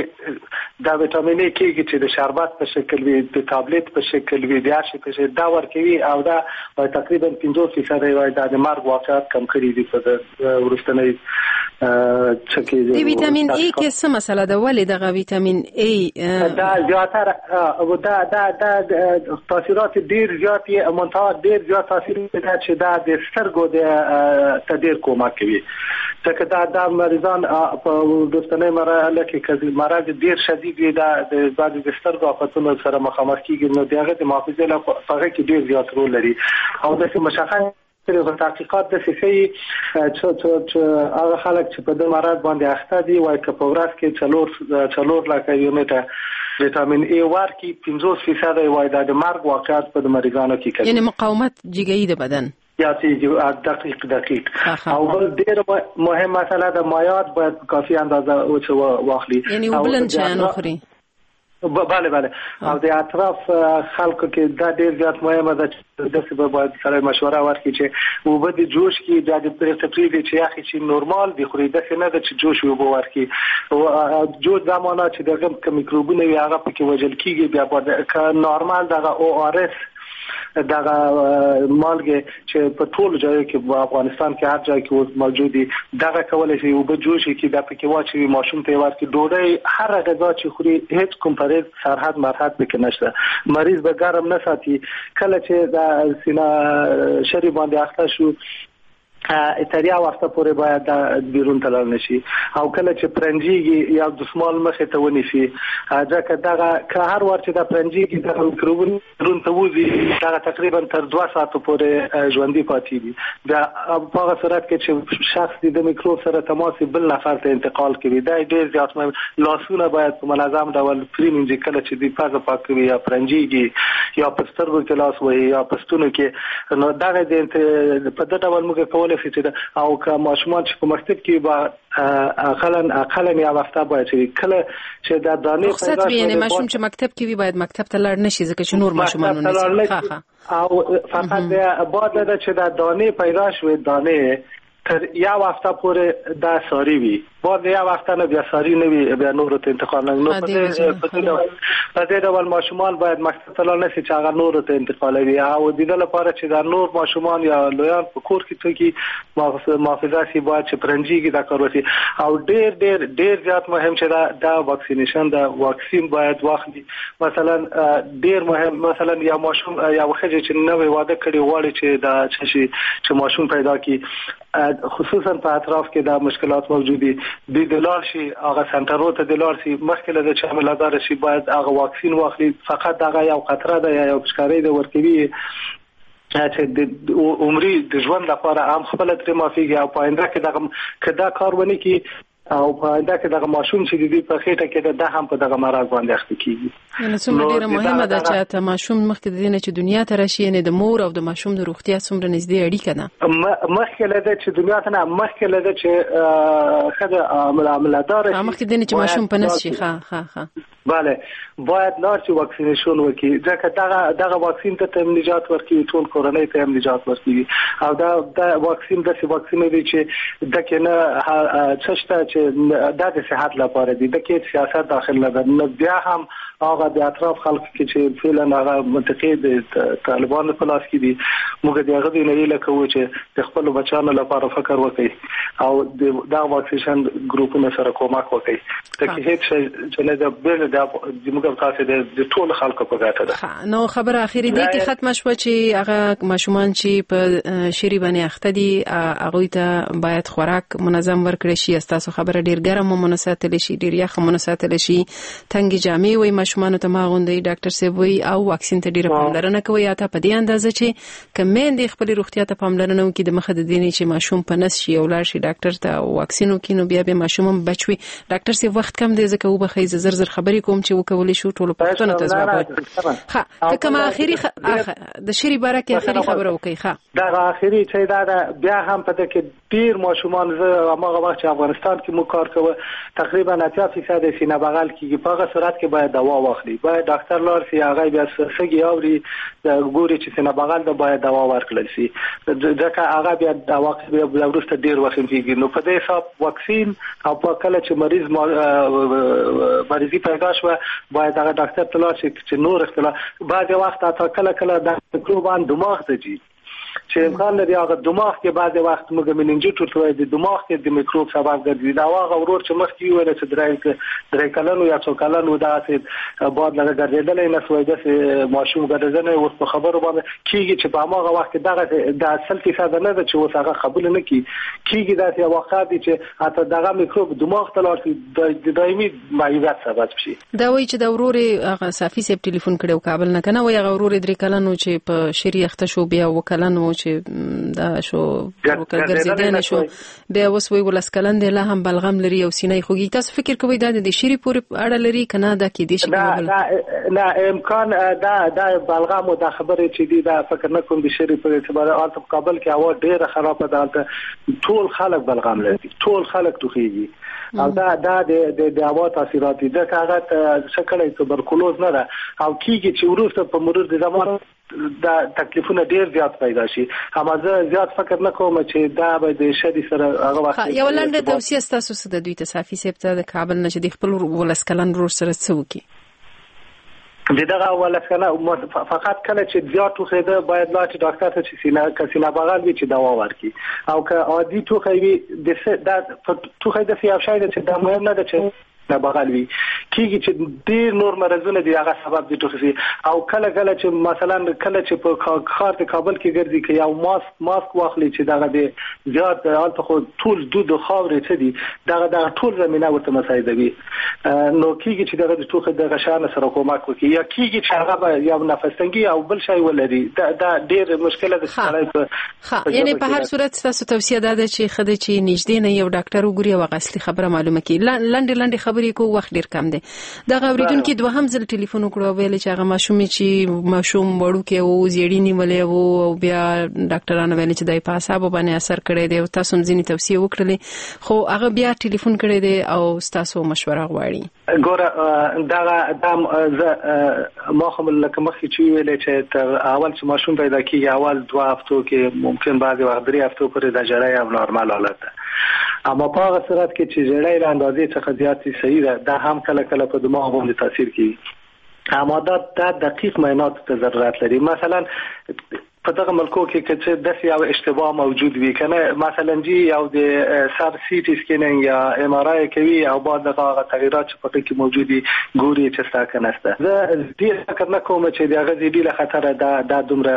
دا ویټامین ای کېږي چې د شربت په شکل وي، د تابلیت په شکل وي، د هر شي په شکل دا ورکوي او دا تقریبا پنځوس فیصده وایي دا د مرګ واقعات کم کړي دي په وروستنۍ څه کې. د ویټامین ای کې څه مسله ده؟ ولې دغه ویټامین ای دا زیاتره دا دا دا تاثیرات ډیر زیات یې منتها ډیر زیات تاثیر ده چې دا د سترګو د ته ډیر کومک کوي، ځکه دا دا مریضان په وروستنۍ مرحله کې که مرض ډیر شدید وي دا د بعضې د سترګو آفتونو سره مخامخ کېږي، نو د هغه د محافظې لپاره په هغه کې ډیر زیات رول لري. او داسې مشخص تحقیقات داسې ښيي چې هغه خلک چې په دې مرض باندې اخته دي وایي که په ورځ کې څلور څلور لکه یونټه ویټامین ای ورکړي پنځوس فیصده یې وایي دا د مرګ واقعیت په مریضانو کې کوي، یعنې مقاومت جګوي د بدن زیاتېږي. دقیق دقیق. او بل ډېره مهم مسله ده مایعات باید په کافي اندازه چې واخلي، یعنې اوبلن شیان وخوري. بله بله. او د اطراف خلکو کې دا ډېر زیات مهمه ده چې داسې به باید سړی مشوره ورکړي چې اوبه د جوش کې بیا د پرېږدي پرېږدي چې یخې چې نورمال دي خوري، داسې نه ده چې جوش اوبه ورکړي. جوش دا معنا چې دغه که میکروبونه وي هغه پکې وژل کېږي، بیا باید که نورمال دغه او آر اس دغه مالګه چې په ټولو ځایو کې په افغانستان کې هر ځای کې اوس موجود دي دغه کولی شي اوبه جوش کړي دا پکې واچوي ماشوم ته یې ورکړي. ډوډۍ هره غذا چې خوري هیڅ کوم پرهیز سرحد مرحد پکې نشته، مریض به ګرم نه ساتي. کله چې د سینه شری باندې اخته شو تر یو هفته پورې باید بیرون ته لاړ نشي، او کله چې پرنجیږي یا دستمال مخې ته ونیسي، ځکه دغه که هر وار چې دا پرنجیږي دغه میکروبونه بیرون ته وځي دغه تقریبا تر دوه ساعتو پورې ژوندي پاتې دي. بیا په هغه صورت کې چې شخص د میکروب سره تماس بل نفر ته انتقال کوي دا ډېر زیات مهم. لاسونه باید په منظم ډول پرېمنځي کله چې دوی پزه پاکوي یا پرنجیږي یا په سترګو کې لاس وهي یا په ستونو کې، نو دغه په دې ډول موږ کولی او که ماشومان چې په مکتب کې با اقلا اقلا یو هفته باید چې کله چې دا دانې رخصت وي، یعنې ماشوم چې مکتب کې وي باید مکتب ته لاړ نشي ځکه چې نور ماشومان ونیسي. ښه ښه. او فقط بعد له چې دا دانې پیدا شوې دانې تر یو هفته پورې دا ساري وي، بعد یو هفته نه بیا ساري نه وي بیا نورو ته انتقال نه. نو په دې ډول ماشومان باید مکتب ته لاړ نه شي چې هغه نورو ته انتقالوي، او د دې لپاره چې دا نور ماشومان یا لویان په کور کې څوک محافظه شي باید چې پرنجیږي دا کار وشي. او ډېر ډېر ډېر زیات مهم چې دا دا واکسینیشن دا واکسین باید واخلي. مثلا ډېر مهم مثلا یا ماشوم یا ښځه چې نوې واده کړي غواړي چې دا چې ماشوم پیدا کړي، خصوصا په اطراف کې دا مشکلات موجود دي، دوی د لاړ شي هغه سنټرو ته د لاړ شي مخکې له دې چې حاملهدار شي باید هغه واکسین واخلي. فقط دغه یو قطره ده یا یو پشکاری ده ورکوي چې د عمري د ژوند لپاره هم خپله ترې معافیږي، او په آینده کې دغه که دا کار ونه کړي او په آینده کې دغه ماشوم چې د دوی په خېټه کې ده دا هم په دغه مرض باندې اخته کېږي. یعنې څومره ډېره مهمه ده چې ته ماشوم مخکې د دې نه چې دنیا ته راشي، یعنې د مور او د ماشوم د روغتیا څومره نږدې اړیکه ده. مخکې له دې چې دنیا ته نه، مخکې له دې چې ښځه حاملهداره شي، مخکې د دې نه چې ماشوم په نس شي. ښه ښه ښه. بله، باید لاړ شي vaccination وکړي، ځکه دغه دغه واکسین ته هم نجات ورکوي، ټول کورنۍ ته هم نجات ورکوي. او دا دا واکسین داسې واکسین دی چې د کې نه څه شته چې دا د صحت لپاره دی، د کې سیاست داخل نه ده. نو بیا هم هغه د اطراف خلک کې چې فعلا هغه منطقې د طالبانو په لاس کې دي، موږ د هغه نه هیله کوو چې د خپلو بچیانو لپاره فکر وکړي او د دا vaccination ګروپونو سره کومک وکړي. د کې هیڅ چې نه د بل د موږ تاسو د ټولو خلکو په ګټه ده. نو خبره اخیری دی کې ختمه شوه چې هغه ماشومان چې په شری باندې اخته دي هغوی ته باید خوراک منظم ورکړل شي. ستاسو خبره ډیر ګرم مو ساتل شي، ډیر یخ مو ساتل شي، تنګې جامې وي ماشومانو ته ما غوندي ډاکټر صاحب وي، او واکسین ته ډیره پاملرنه کوي. یا ته په دې اندازه چې که میندې خپلې روغتیا ته پاملرنه وکړي د مخه د دې نه چې ماشوم په نس شي او لاړ شي ډاکټر ته او واکسین وکړي نو بیا به ماشوم هم بچ وي. ډاکټر صاحب وخت کم دی ځکه وبخښئ زه زر زر خبرې کوم چې وکولی شو ټولو پوښتنو ته ځواب ورکړو. ښه که کومه اخري خ... د شری باره کې اخري خبره وکړئ. ښه دغه اخري چې دا ده بیا هم په دې کې ډیر ماشومان، زه هماغه وخت چې افغانستان کې مو کار کوه تقریبا اتیا فیصد سینه بغل کیږي. په هغه صورت کې باید دوا واخلي، باید ډاکټر لاړ شي، هغه بیا سږي اوري ګوري چې سینه بغل ده باید دوا ورکړل شي، ځکه هغه بیا عواقب بیا وروسته ډیر وخیم کیږي. نو په دې حساب واکسین او په کله چې مریض مریضي پیدا شوه باید هغه ډاکټر ته لاړ شي چې نور اختلاف. بعضې وخت حتی کله کله د میکروبان دماغ ته ځي چې امکان لري هغه دماغ کې بعضې وخت موږ مننجیټ ورته وایو، د دماغ کې د میکروب سبب ګرځي. دا هغه ورور چې مخکې ویل چې درې درې کلن یا څو کلن و داسې باد لږه ګرځېدلی نه سوی، داسې ماشوم ګرځېدلی اوس په خبرو باندې کېږي چې په هماغه وخت کې دغه د سل فیصده نه ده چې اوس هغه قبول نه کړي، کېږي داسې واقعات دي چې حتی دغه میکروب دماغ ته لاړ شي د دایمي معیوبیت سبب شي. دا وایي چې دا ورور یې هغه صافي صاحب ټلیفون کړی و کابل نه که نه، وایي هغه ورور یې درې کلن و چې په شري اخته شو، بیا اووه کلن و چې دا شو ګرځېدی نه شو، بیا اوس وایي ولس کلن دی لا هم بلغم لري او سینه یې خوږېږي. تاسو فکر کوئ دا د شري پورې اړه لري که نه دا کېدای شي؟ نه نه امکان دا دا بلغم او دا خبرې چې دي دا فکر نه کوم د شري په اعتبار. هلته په کابل کې هوا ډېره خرابه ده، هلته ټول خلک بلغم لري، ټول خلک ټوخېږي او دا دا د د هوا تاثیرات دي، ځکه هغه څه کړی توبرکلوز نه ده او کېږي چې وروسته په مرور د زمان دا تکلیفونه ډیر زیات پیدا شي. اما زه زیات فکر نه کوم چې دا به د شری سره هغه وخت. یو لنډه توصیه ستاسو څه ده دوی ته صافي صاحب ته د کابل نه چې د خپل ولس کلن ورور سره څه وکړي؟ د دغه ولس کلن فقط کله چې زیات ټوخېده باید لاړ شي ډاکټر ته چې سینه که سینه بغل وي چې دوا ورکړي، او که عادي ټوخی وي د دا ټوخی داسې یو شی ده چې دا مهم نه ده چې نه بغل وي، کیږي چې ډیر نور مرضونه دي هغه سبب دي ټوخي سي. او کله کله چې مثلا کله چې په ښار د کابل کې ګرځي که یو ماسک ماسک واخلي چې دغه د زیات هلته خو ټول دود او خاورې څه دي دغه دغه ټول زمینه ورته مساعدوي، نو کیږي چې دغه د ټوخي دغه شان سره کومک وکړي، یا کیږي چې هغه به یو نفس تنګي او بل شی ولري. دا دا ډیر مشکله ده چې ښه، یعنی په هر صورت ستاسو توصیه دا ده چې ښه ده چې نږدې نه یو ډاکټر وګوري او هغه اصلي خبره معلومه کړي. لنډې لنډې خبرې کو، وخت ډیر کم دی. دغه اوریدونکي دوهم ځل ټلیفون وکړو او ویل چې هغه ماشوم چې ماشوم وړوکی و زیړی نیولی و او بیا ډاکټرانو ویل چې دی په اعصابو باندې اثر کړی دی او تاسو هم ځینې توصیې وکړلې، خو هغه بیا ټلیفون کړی دی او ستاسو مشوره غواړي. ګوره دغه دا زه ما خو لکه مخکې چې ویلې چې تر اول چې ماشوم پیدا کیږي اول دوه هفتو کې ممکن بعضې وخت درې هفتو پورې د ژړا یو نارمل حالت ده، اما په هغه صورت کې چې ژړا له اندازې څخه زیات صحیح ده دا هم کله کله په دماغ باندې تاثیر کوي، اما دا دا دقیق معاینات ته ضرورت لري. مثلا په دغه ملکو کې که څه داسې یو اشتباه موجود وي که نه، مثلا جی یو د سر CT scanning یا MRI کوي او بعد دغه هغه تغیرات چې پکې کې موجود دي ګوري چې ستا که نشته. زه ډېر فکر نه کوم چې د هغه زیدي له خطره دا دا دومره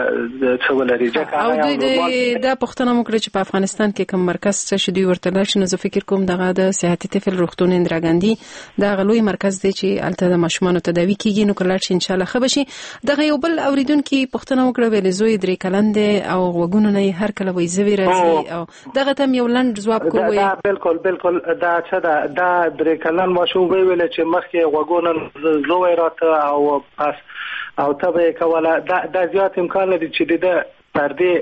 څه ولري، ځکه او دوی دا پوښتنه مو کړې چې په افغانستان کې کوم مرکز څه شي دوی ورته لاړ شي، نو زه فکر کوم دغه د صحتي طفل روغتون اندرا ګاندي دا هغه لوی مرکز دی چې هلته د ماشومانو تداوي کیږي، نو که لاړ شي انشاءالله ښه به شي. دغه یو بل اورېدونکي پوښتنه وکړه ویلې زوی درې کلن دی او غوږونو نه یې هر کله وایي زوی راځي، او دغه ته هم یو لنډ ځواب کوئ. دا بالکل بالکل دا څه ده، دا درې کلن ماشوم ویل چې مخکې غوږونه زوی راته او پس او تبه یې کوله، دا دا زیات امکان لري چې د ده پردې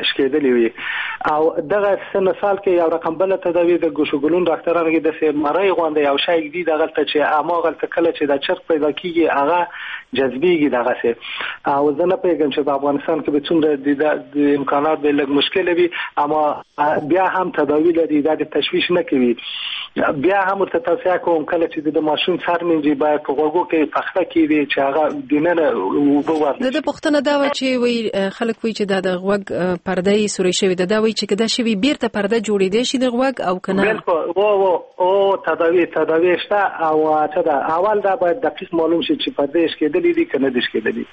شکېدلې وي. او دغه سن سال کې یو رقم بل تداوی د ګوشوګلون ډاکټرانو کې د مرۍ غونډه یو شی دی دغلته چې اماغلته کله چې د چرګ پیدا کیږي هغه جذبیږي دغه سه. او زه نه پوهېږم چې په افغانستان کې به څومره د امکانات به لږ مشکل وي، اما بیا هم تداوی لري، دا د تشویش نه کوي. بیا هم ورته توصیه کوم کله چې د ماشوم سر مینځي باید په غوږو کې پخته کېږي چې هغه دننه اوبه ورنه. د ده پوښتنه دا وه چې وایي خلک وایي چې دا د غوږ پرده یې سورۍ شوې ده، دا وایي چې که دا شوي بیرته پرده جوړېدی شي د غوږ او که نه؟ بالکل او او او تداوی تداوی شته. او څه ده، اول دا باید دقیق معلوم شي چې پرده یې شکېدلې دي که نه دي شکېدلې،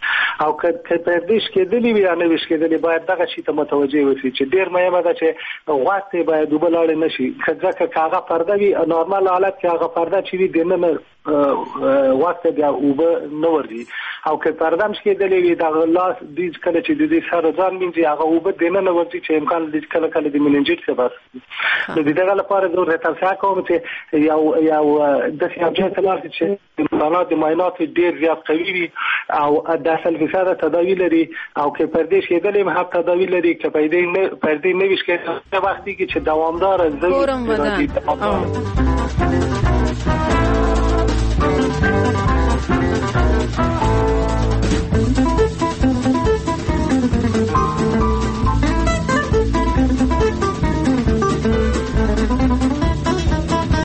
او که پردې شکېدلې وي یا نه وي شکېدلې باید دغه شي ته متوجه اوسي چې ډېر مهمه ده چې غوږ ته باید اوبه لاړې نه شي، ځکه که هغه پرده وي نورمال حالت کې هغه پرده چې وي دننه غوږ ته بیا اوبه نه ورځي، او که پرده هم شکېدلې وي دغه لاس دوی کله چې د دوی سره ځان مینځي هغه اوبه دننه ورځي چې امکان لري کله کله د مننجیت سبب. نو د دغه لپاره زه ورته توصیه کوم چې یو یو داسې یو ځای ته لاړ شي چې امکانات د معاینات ډېر زیات قوي وي او د اصل فیصده تداوی لري، او که پردې شکېدلې هم هم تداوی لري، که پردې نه پردې نه وي شکېدلې وخت کې چې دوامداره زوی.